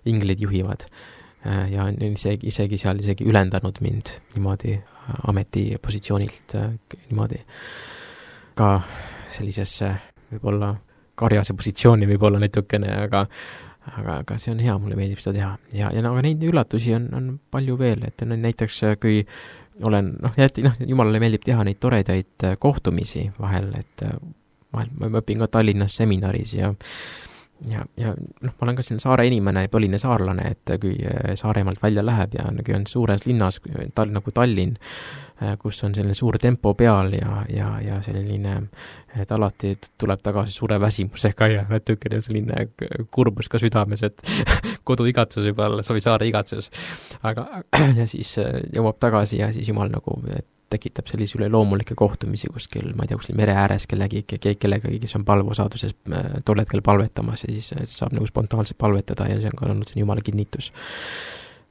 inglid juhivad ja isegi seal ülendanud mind niimoodi ametipositsioonilt niimoodi ka sellisesse võib-olla karjase positsiooni võib-olla natukene, aga see on hea, mulle meeldib seda teha. Ja aga neid üllatusi on palju veel, et näiteks kui olen, Jumalale meeldib teha neid toredaid kohtumisi vahel, et ma õpin ka Tallinnas seminaris ja ma olen ka siin saare inimene ja põline saarlane, et kui Saaremaalt välja läheb ja kui on suures linnas nagu Tallinn, kus on selline suur tempo peal ja selline, et alati tuleb tagasi suure väsimusega ja natukene selline kurbus ka südames, et koduigatsus võib-olla, saare igatsus. Aga ja siis jõuab tagasi ja siis Jumal tekitab sellise üleloomulikke kohtumisi kuskil, ma ei tea, kuskil mere ääres kellegagi, kes on palveosaduses tol hetkel palvetamas ja siis saab spontaanselt palvetada ja see on ka olnud Jumala kinnitus.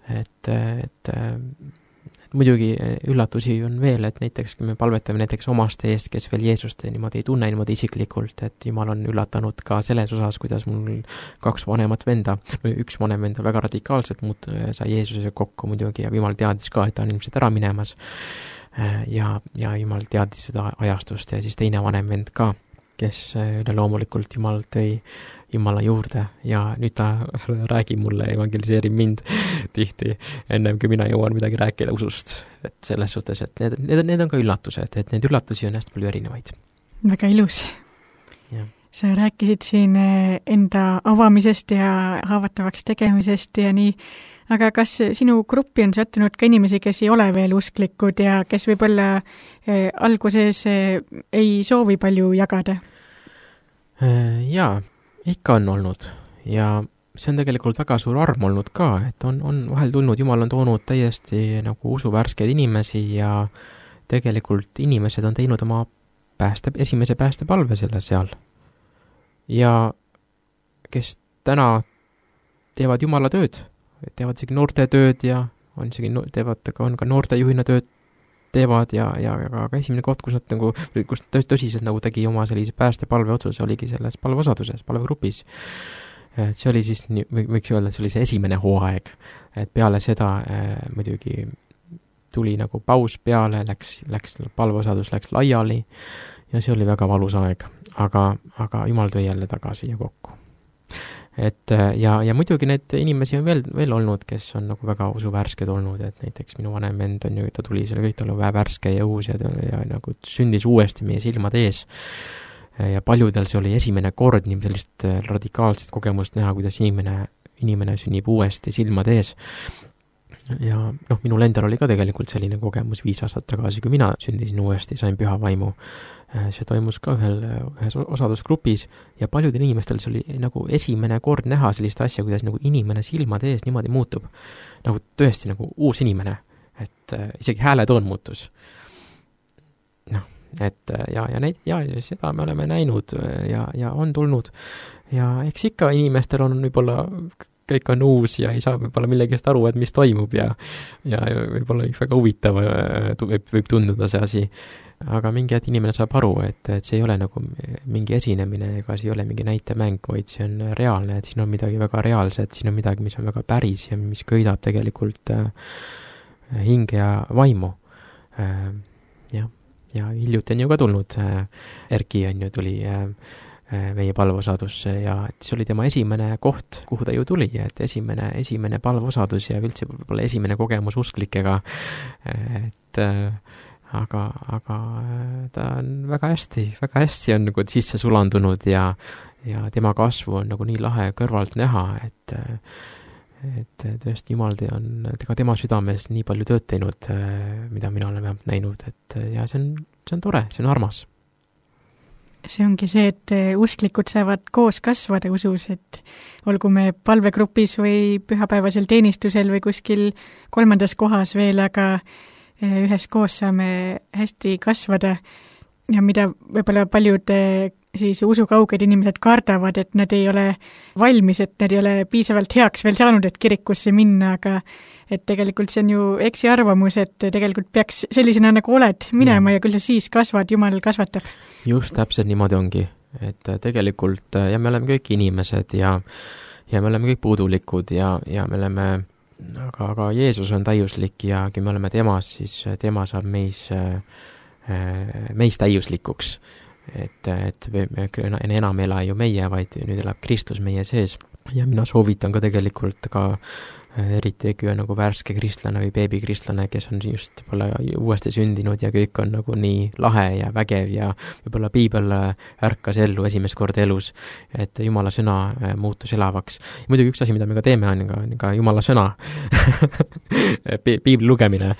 Et muidugi üllatusi on veel, et näiteks kui me palvetame näiteks omaste eest, kes veel Jeesust niimoodi ei tunne niimoodi isiklikult, et Jumal on üllatanud ka selles osas, kuidas mul 2 vanemat venda, või 1 vanem venda väga radikaalselt sai Jeesusega kokku muidugi ja Jumal teadis ka, et ta on ilmselt ära minemas ja Jumal teadis seda ajastust ja siis teine vanem vend ka, kes loomulikult Jumal tõi Jumala juurde ja nüüd ta räägib mulle, evangeliseerib mind tihti, ennem kui mina jõuan midagi rääkida usust. Et selles suhtes, et need on ka üllatused, et neid üllatusi on hästi palju erinevaid. Väga ilus. Ja. Sa rääkisid siin enda avamisest ja haavatavaks tegemisest ja nii, aga kas sinu gruppi on sattunud ka inimesi, kes ei ole veel usklikud ja kes võib-olla alguses ei soovi palju jagada? Jaa, ikka on olnud ja see on tegelikult väga suur arm olnud ka, et on vahel tulnud, Jumal on toonud täiesti nagu usuvärskeid inimesi ja tegelikult inimesed on teinud oma esimese päästepalve seal. Ja kes täna teevad Jumala tööd, teevad isegi noorte tööd ja on ka noortejuhina tööd teevad ja ka esimene koht, kus nad kus tõsiselt tegi oma sellise päästepalve otsuse, oligi selles palveosaduses, palvegrupis. See oli siis, võiks öelda, see oli see esimene hooaeg, et peale seda muidugi tuli nagu paus peale, läks palveosadus läks laiali ja see oli väga valus aeg, aga Jumal tõi jälle tagasi ja kokku. Et ja muidugi need inimesi on veel olnud, kes on nagu väga usuvärsked olnud, et näiteks minu vanem vend on ju, ta tuli selle kõik talle värske ja uus ja nagu sündis uuesti meie silmade ees. Ja paljudel see oli esimene kord nii sellist radikaalset kogemust näha, kuidas inimene inimene sünnib uuesti silmade ees. Ja noh, minul endal oli ka tegelikult selline kogemus 5 aastat tagasi, kui mina sündisin uuesti, sain püha vaimu. See toimus ka ühes osadusgrupis ja paljudel inimestel see oli nagu esimene kord näha sellist asja, kuidas nagu inimene silmade ees niimoodi muutub. Nagu tõesti nagu uus inimene, et isegi hääletoon muutus. Noh, et ja seda me oleme näinud ja on tulnud. Ja eks ikka inimestel on võib-olla kõik on uus ja ei saa võib-olla millegist aru, et mis toimub ja võib-olla väga huvitav võib tunduda see asi. Aga mingi hetk inimene saab aru, et see ei ole nagu mingi esinemine ega see ei ole mingi näitemäng, vaid see on reaalne, et siin on midagi väga reaalset, siin on midagi, mis on väga päris ja mis köidab tegelikult hinge ja vaimu. Ja hiljuti on ju ka tulnud, Erki on ju tuli meie palveosadusse ja see oli tema esimene koht, kuhu ta ju tuli, et esimene palveosadus ja üldse võib-olla esimene kogemus usklikega, et aga ta on väga hästi on nagu sisse sulandunud ja tema kasvu on nagu nii lahe kõrvalt näha, et tõesti Jumal on tema südames nii palju tööd teinud, mida mina olen näinud, et ja see on tore, see on armas. See ongi see, et usklikud saavad koos kasvada usus, et olgu me palvegrupis või pühapäevasel teenistusel või kuskil 3. kohas veel, aga üheskoos saame hästi kasvada ja mida võib-olla paljud siis usukauged inimesed kardavad, et nad ei ole valmis, et nad ei ole piisavalt heaks veel saanud, et kirikusse minna, aga et tegelikult see on ju eksiarvamus, et tegelikult peaks sellisena nagu oled minema ja küll sa siis kasvad, Jumal kasvatab. Just täpselt niimoodi ongi, et tegelikult ja me oleme kõik inimesed ja me oleme kõik puudulikud ja me oleme, aga Jeesus on täiuslik ja kui me oleme temas, siis tema saab meis täiuslikuks. Et enam ela ju meie, vaid nüüd elab Kristus meie sees. Ja mina soovitan ka tegelikult ka eriti kui on nagu värske kristlane või beebikristlane, kes on just uuesti sündinud ja kõik on nagu nii lahe ja vägev ja võib-olla piibel ärkas ellu esimest korda elus, et Jumala sõna muutus elavaks. Ja muidugi üks asi, mida me ka teeme, on ka Jumala sõna piibli lugemine,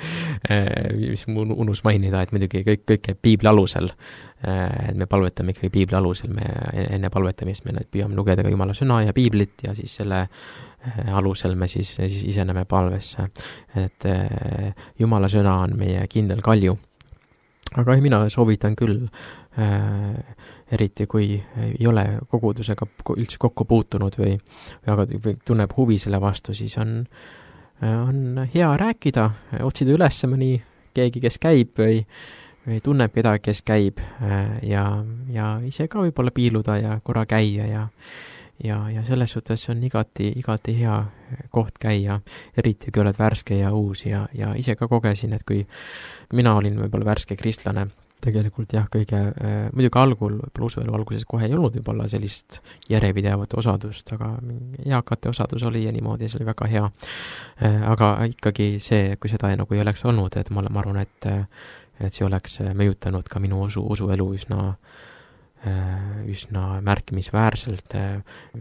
mis mu unus mainida, et muidugi kõik käib piibli alusel, et me palvetame ikkagi piibli alusel, me enne palvetamist me püüame lugeda ka Jumala sõna ja piiblit ja siis selle alusel me siis iseneme palvesse, et Jumala sõna on meie kindel kalju. Aga mina soovitan küll, eriti kui ei ole kogudusega üldse kokku puutunud või tunneb huvi selle vastu, siis on hea rääkida, otsida üles mõni keegi, kes käib või tunneb kedagi, kes käib ja ise ka võib-olla piiluda ja korra käia ja selles suhtes on igati hea koht käia, eriti kui oled värske ja uus ja ise ka kogesin, et kui mina olin võib-olla värske kristlane, tegelikult jah, muidugi usuelu alguses kohe ei olnud võib-olla sellist järjepidevat osadust, aga eakate osadus oli ja niimoodi, see oli väga hea. Aga ikkagi see, kui seda nagu ei oleks olnud, et ma arvan, et see oleks mõjutanud ka minu usuelu üsna märkimisväärselt,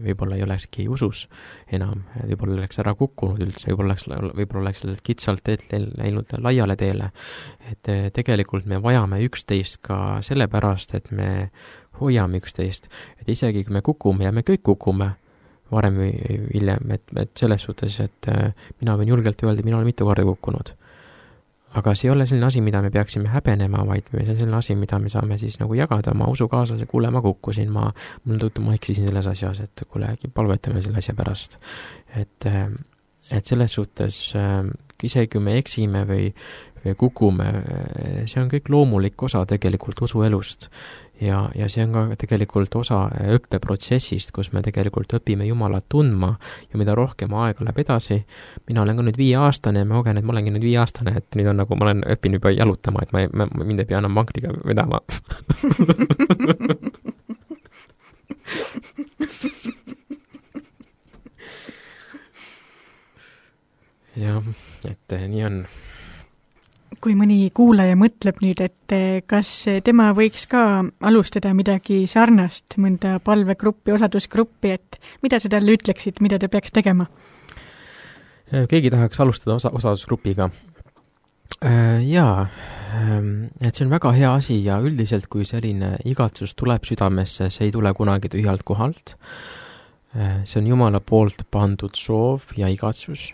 võib-olla ei olekski usus enam, võib-olla oleks ära kukkunud üldse, võib-olla oleks kitsalt teed läinud laiale teele, et tegelikult me vajame üksteist ka sellepärast, et me hoiame üksteist, et isegi kui me kukume ja me kõik kukume varem või hiljem, et selles suhtes, et mina võin julgelt öelda, mina olen mitu korda kukkunud. Aga see ei ole selline asi, mida me peaksime häbenema, vaid see on selline asi, mida me saame siis nagu jagada oma usukaaslase, kuule, ma kukkusin, ma eksisin selles asjas, et kuule, palvetame selle asja pärast. Et selles suhtes, isegi kui me eksime või kukume, see on kõik loomulik osa tegelikult usuelust. Ja see on ka tegelikult osa õppeprotsessist, kus me tegelikult õpime Jumalat tundma ja mida rohkem aega läheb edasi. Mina olen ka nüüd 5-aastane ja ma kogen, et ma olengi nüüd 5-aastane, et nüüd on nagu, ma olen õppinud juba jalutama, et mind ei pea enam vankriga vedama. jah, et nii on. kui mõni kuulaja mõtleb nüüd, et kas tema võiks ka alustada midagi sarnast, mõnda palvegruppi, osadusgruppi, et mida sa talle ütleksid, mida ta peaks tegema? Keegi tahaks alustada osadusgrupiga. Jaa, et see on väga hea asi ja üldiselt, kui selline igatsus tuleb südamesse, see ei tule kunagi tühjalt kohalt. See on Jumala poolt pandud soov ja igatsus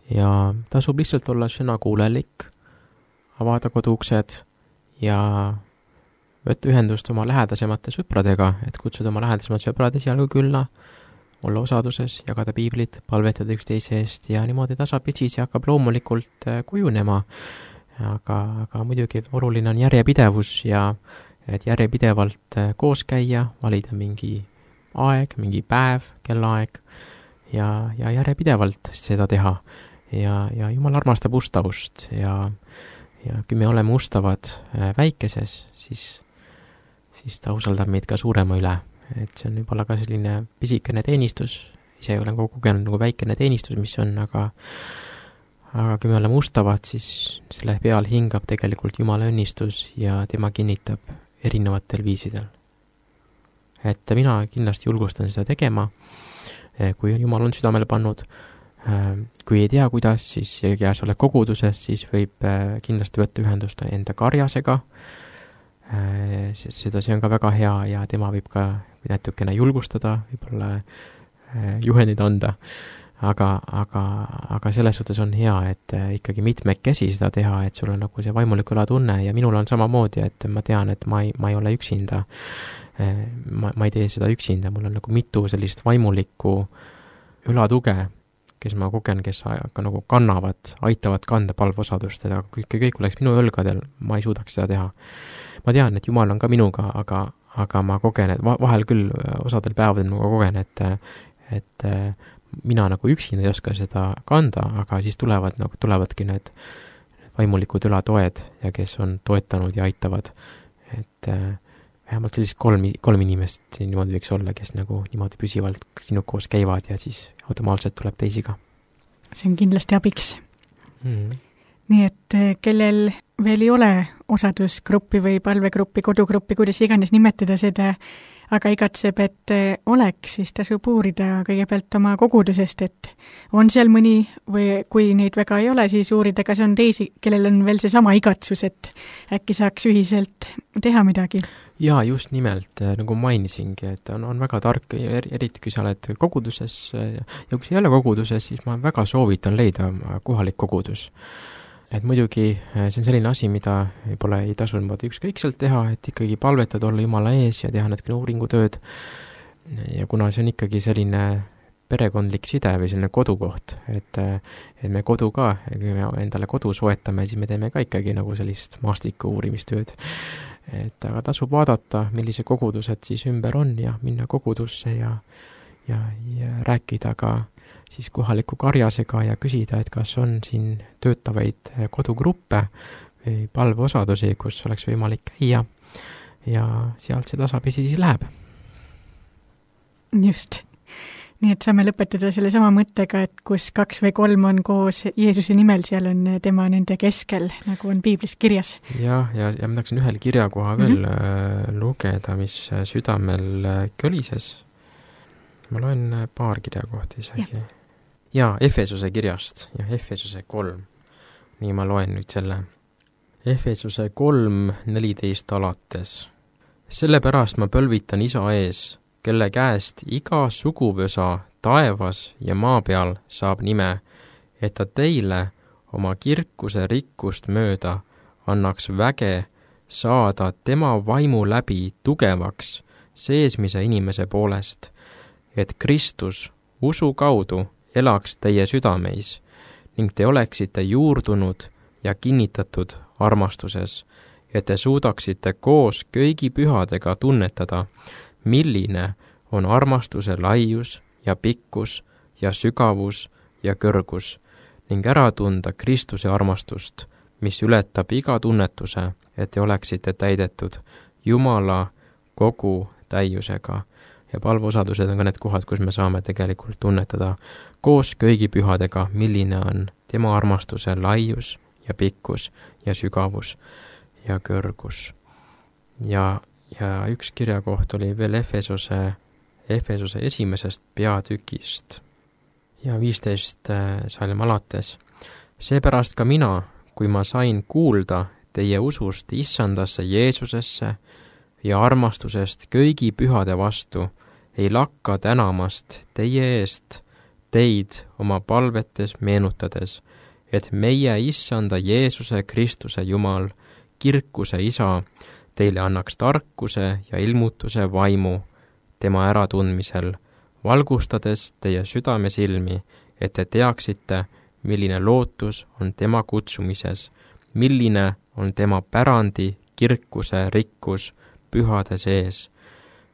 ja tasub lihtsalt olla sõnakuulelik, avada koduuksed ja võtta ühendust oma lähedasemate sõpradega, et kutsuda oma lähedasemad sõbrad esialgu külla, olla osaduses, jagada piiblit, palvetada üksteise eest ja niimoodi tasapisi see hakkab loomulikult kujunema. Aga muidugi oluline on järjepidevus ja et järjepidevalt koos käia, valida mingi aeg, mingi päev, kellaaeg ja järjepidevalt seda teha. Ja Jumal armastab ustavust ja kui me oleme ustavad väikeses, siis ta usaldab meid ka suurema üle. Et see on võib-olla ka selline pisikene teenistus, ise olen kogenud nagu väikene teenistus, mis on, aga kui me oleme ustavad, siis selle peal hingab tegelikult Jumala õnnistus ja tema kinnitab erinevatel viisidel. Et mina kindlasti julgustan seda tegema, kui Jumal on südamele pannud. Kui ei tea, kuidas, siis ja sa oled koguduses, siis võib kindlasti võtta ühendust enda karjasega. See on ka väga hea ja tema võib ka natukene julgustada, võib-olla juhendid anda. Aga selles suhtes on hea, et ikkagi mitmekesi seda teha, et sul on nagu see vaimuliku üla tunne ja minul on samamoodi, et ma tean, et ma ei ole üksinda. Ma ei tee seda üksinda, mul on nagu mitu sellist vaimulikku ülatuge, kes ma kogen, kes ka nagu aitavad kanda palveosadust, aga kui kõik oleks minu õlgadel, ma ei suudaks seda teha. Ma tean, et Jumal on ka minuga, aga ma kogen, et vahel küll osadel päevadel ma kogen, et mina nagu üksinda ei oska seda kanda, aga siis tulevadki need vaimulikud ülatoed ja kes on toetanud ja aitavad, et vähemalt sellist kolm inimest niimoodi võiks olla, kes nagu niimoodi püsivalt sinu koos käivad ja siis automaatselt tuleb teisi ka. See on kindlasti abiks. Nii et kellel veel ei ole osadusgruppi või palvegruppi, kodugruppi, kuidas iganes nimetada seda, aga igatseb, et oleks, siis tasub uurida kõigepealt oma kogudusest, et on seal mõni või kui neid väga ei ole, siis uurida, kas on teisi, kellel on veel see sama igatsus, et äkki saaks ühiselt teha midagi. Jaa, just nimelt, nagu mainisingi, et on väga tark, eriti kui sa oled koguduses ja kui sa ei ole koguduses, siis ma väga soovitan leida kohalik kogudus. Et muidugi see on selline asi, mida võib-olla ei tasu niimoodi ükskõikselt teha, et ikkagi palvetada, olla Jumala ees ja teha natukene uuringutööd. Ja kuna see on ikkagi selline perekondlik side või selline kodukoht, et me kodu ka, kui me endale kodu soetame, siis me teeme ka ikkagi nagu sellist maastiku uurimistööd. Et aga tasub vaadata, millise kogudused siis ümber on ja minna kogudusse ja rääkida ka siis kohaliku karjasega ja küsida, et kas on siin töötavaid kodugruppe või palveosadusi, kus oleks võimalik käia ja sealt see tasapisi siis läheb. Just. Nii et saame lõpetada selle sama mõttega, et kus 2 või 3 on koos Jeesuse nimel, seal on tema nende keskel, nagu on piiblis kirjas. Ja ma tahaksin ühel kirjakoha veel lugeda, mis südamel kölises. Ma loen paar kirjakohti isegi. Ja Efesuse kirjast ja Efesuse 3. Nii ma loen nüüd selle. Efesuse 3:14 alates. Sellepärast ma pölvitan Isa ees, kelle käest iga suguvõsa taevas ja maa peal saab nime, et ta teile oma kirkuse rikkust mööda annaks väge saada tema vaimu läbi tugevaks seesmise inimese poolest, et Kristus usu kaudu elaks teie südameis ning te oleksite juurdunud ja kinnitatud armastuses, et te suudaksite koos kõigi pühadega tunnetada, milline on armastuse laius ja pikkus ja sügavus ja kõrgus ning ära tunda Kristuse armastust, mis ületab iga tunnetuse, et te oleksite täidetud Jumala kogu täiusega. Ja palveosadused on ka need kohad, kus me saame tegelikult tunnetada koos kõigi pühadega, milline on tema armastuse laius ja pikkus ja sügavus ja kõrgus. Ja üks kirjakoht oli veel Efesose 1. peatükist ja 15 salm alates. Seepärast ka mina, kui ma sain kuulda teie usust issandasse Jeesusesse ja armastusest kõigi pühade vastu, ei lakka tänamast teie eest teid oma palvetes meenutades, et meie issanda Jeesuse Kristuse Jumal, kirkuse Isa, teile annaks tarkuse ja ilmutuse vaimu tema äratundmisel, valgustades teie südamesilmi, et te teaksite, milline lootus on tema kutsumises, milline on tema pärandi kirkuse rikkus pühade sees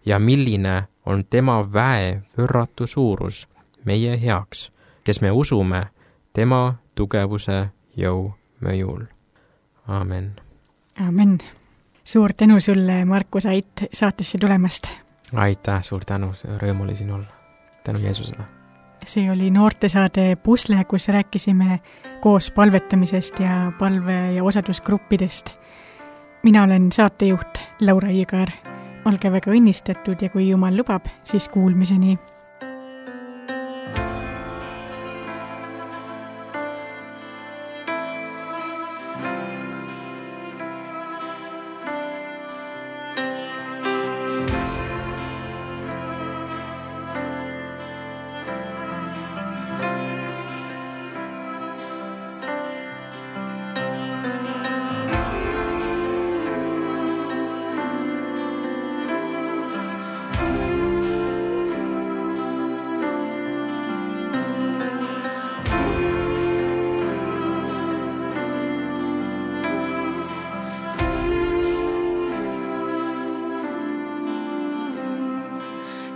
ja milline on tema väe võrratu suurus meie heaks, kes me usume tema tugevuse jõu mõjul. Aamen. Aamen. Suur tänu sulle, Markus Ait, saatesse tulemast. Aitäh, suur tänu, rõõm oli siin olla. Tänu Jeesusele. See oli noortesaade Pusle, kus rääkisime koos palvetamisest ja palve- ja osadusgruppidest. Mina olen saatejuht Laura Igar. Olge väga õnnistatud ja kui Jumal lubab, siis kuulmiseni.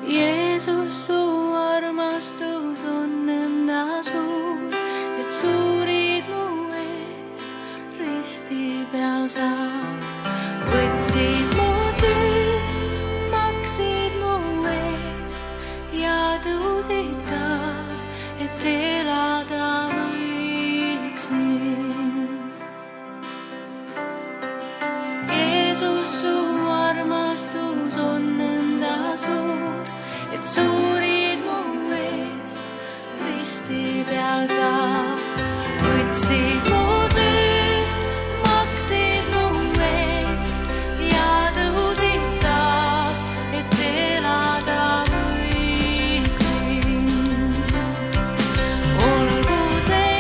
Jeesus, su armastus on nõnda suur, et suurid mu eest risti peal sa võtsid mu süü, maksid mu eest ja tõusid taas, et elada võiksin. Jeesus, su armastus on nõnda suur, et suurid mu eest risti peal sa võtsid mu süü, maksid mu eest ja tõusid taas, et elada võiksin. Olgu see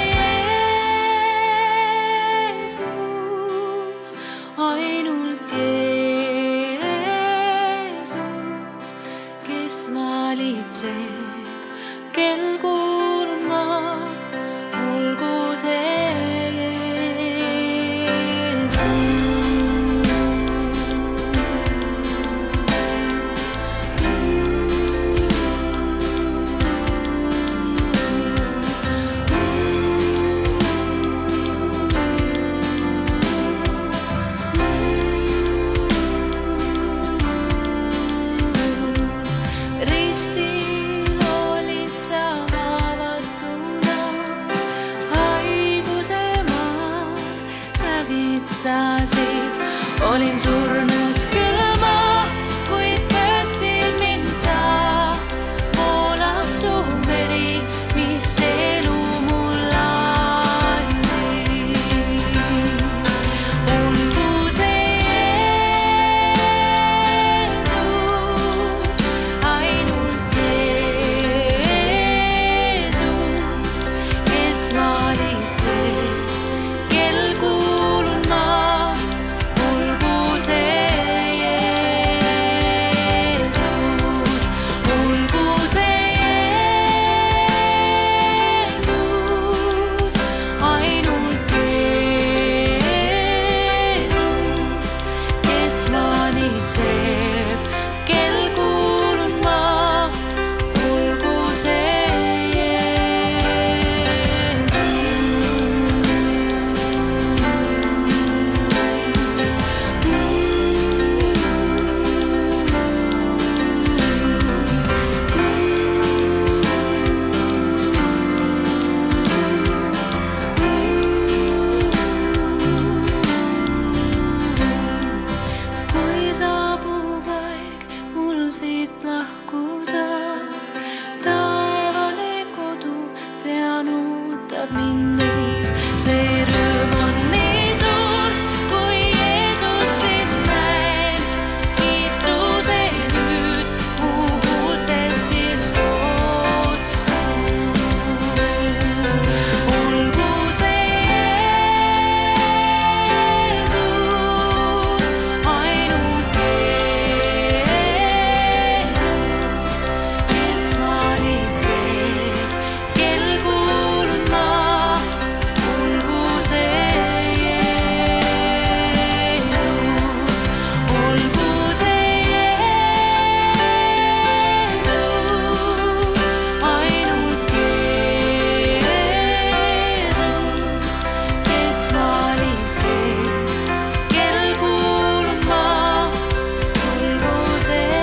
Jeesus, ainult Jeesus, kes valitseb, kel kuulma, olgu see ristil olid sa siit lahkuda. Taevane kodu tean ootab mind ees. See rõõm on nii suur, kui Jeesus sind näeb. Kiituse nüüd puhultelt siis koostud. Olgu see Jeesus, ainult Jeesus, kes valitseb, kel kuulun ma. Olgu see Jeesus, olgu see Jeesus, ainult Jeesus, kes valitseb, kel kuulun ma. Olgu see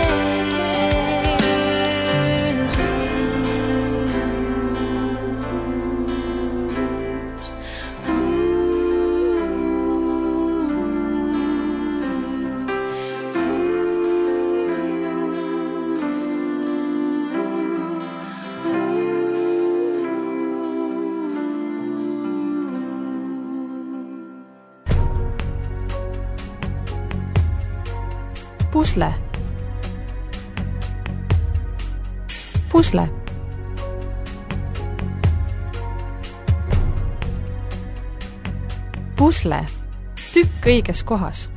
Pusle. Pusle. Pusle. Tükk õiges kohas.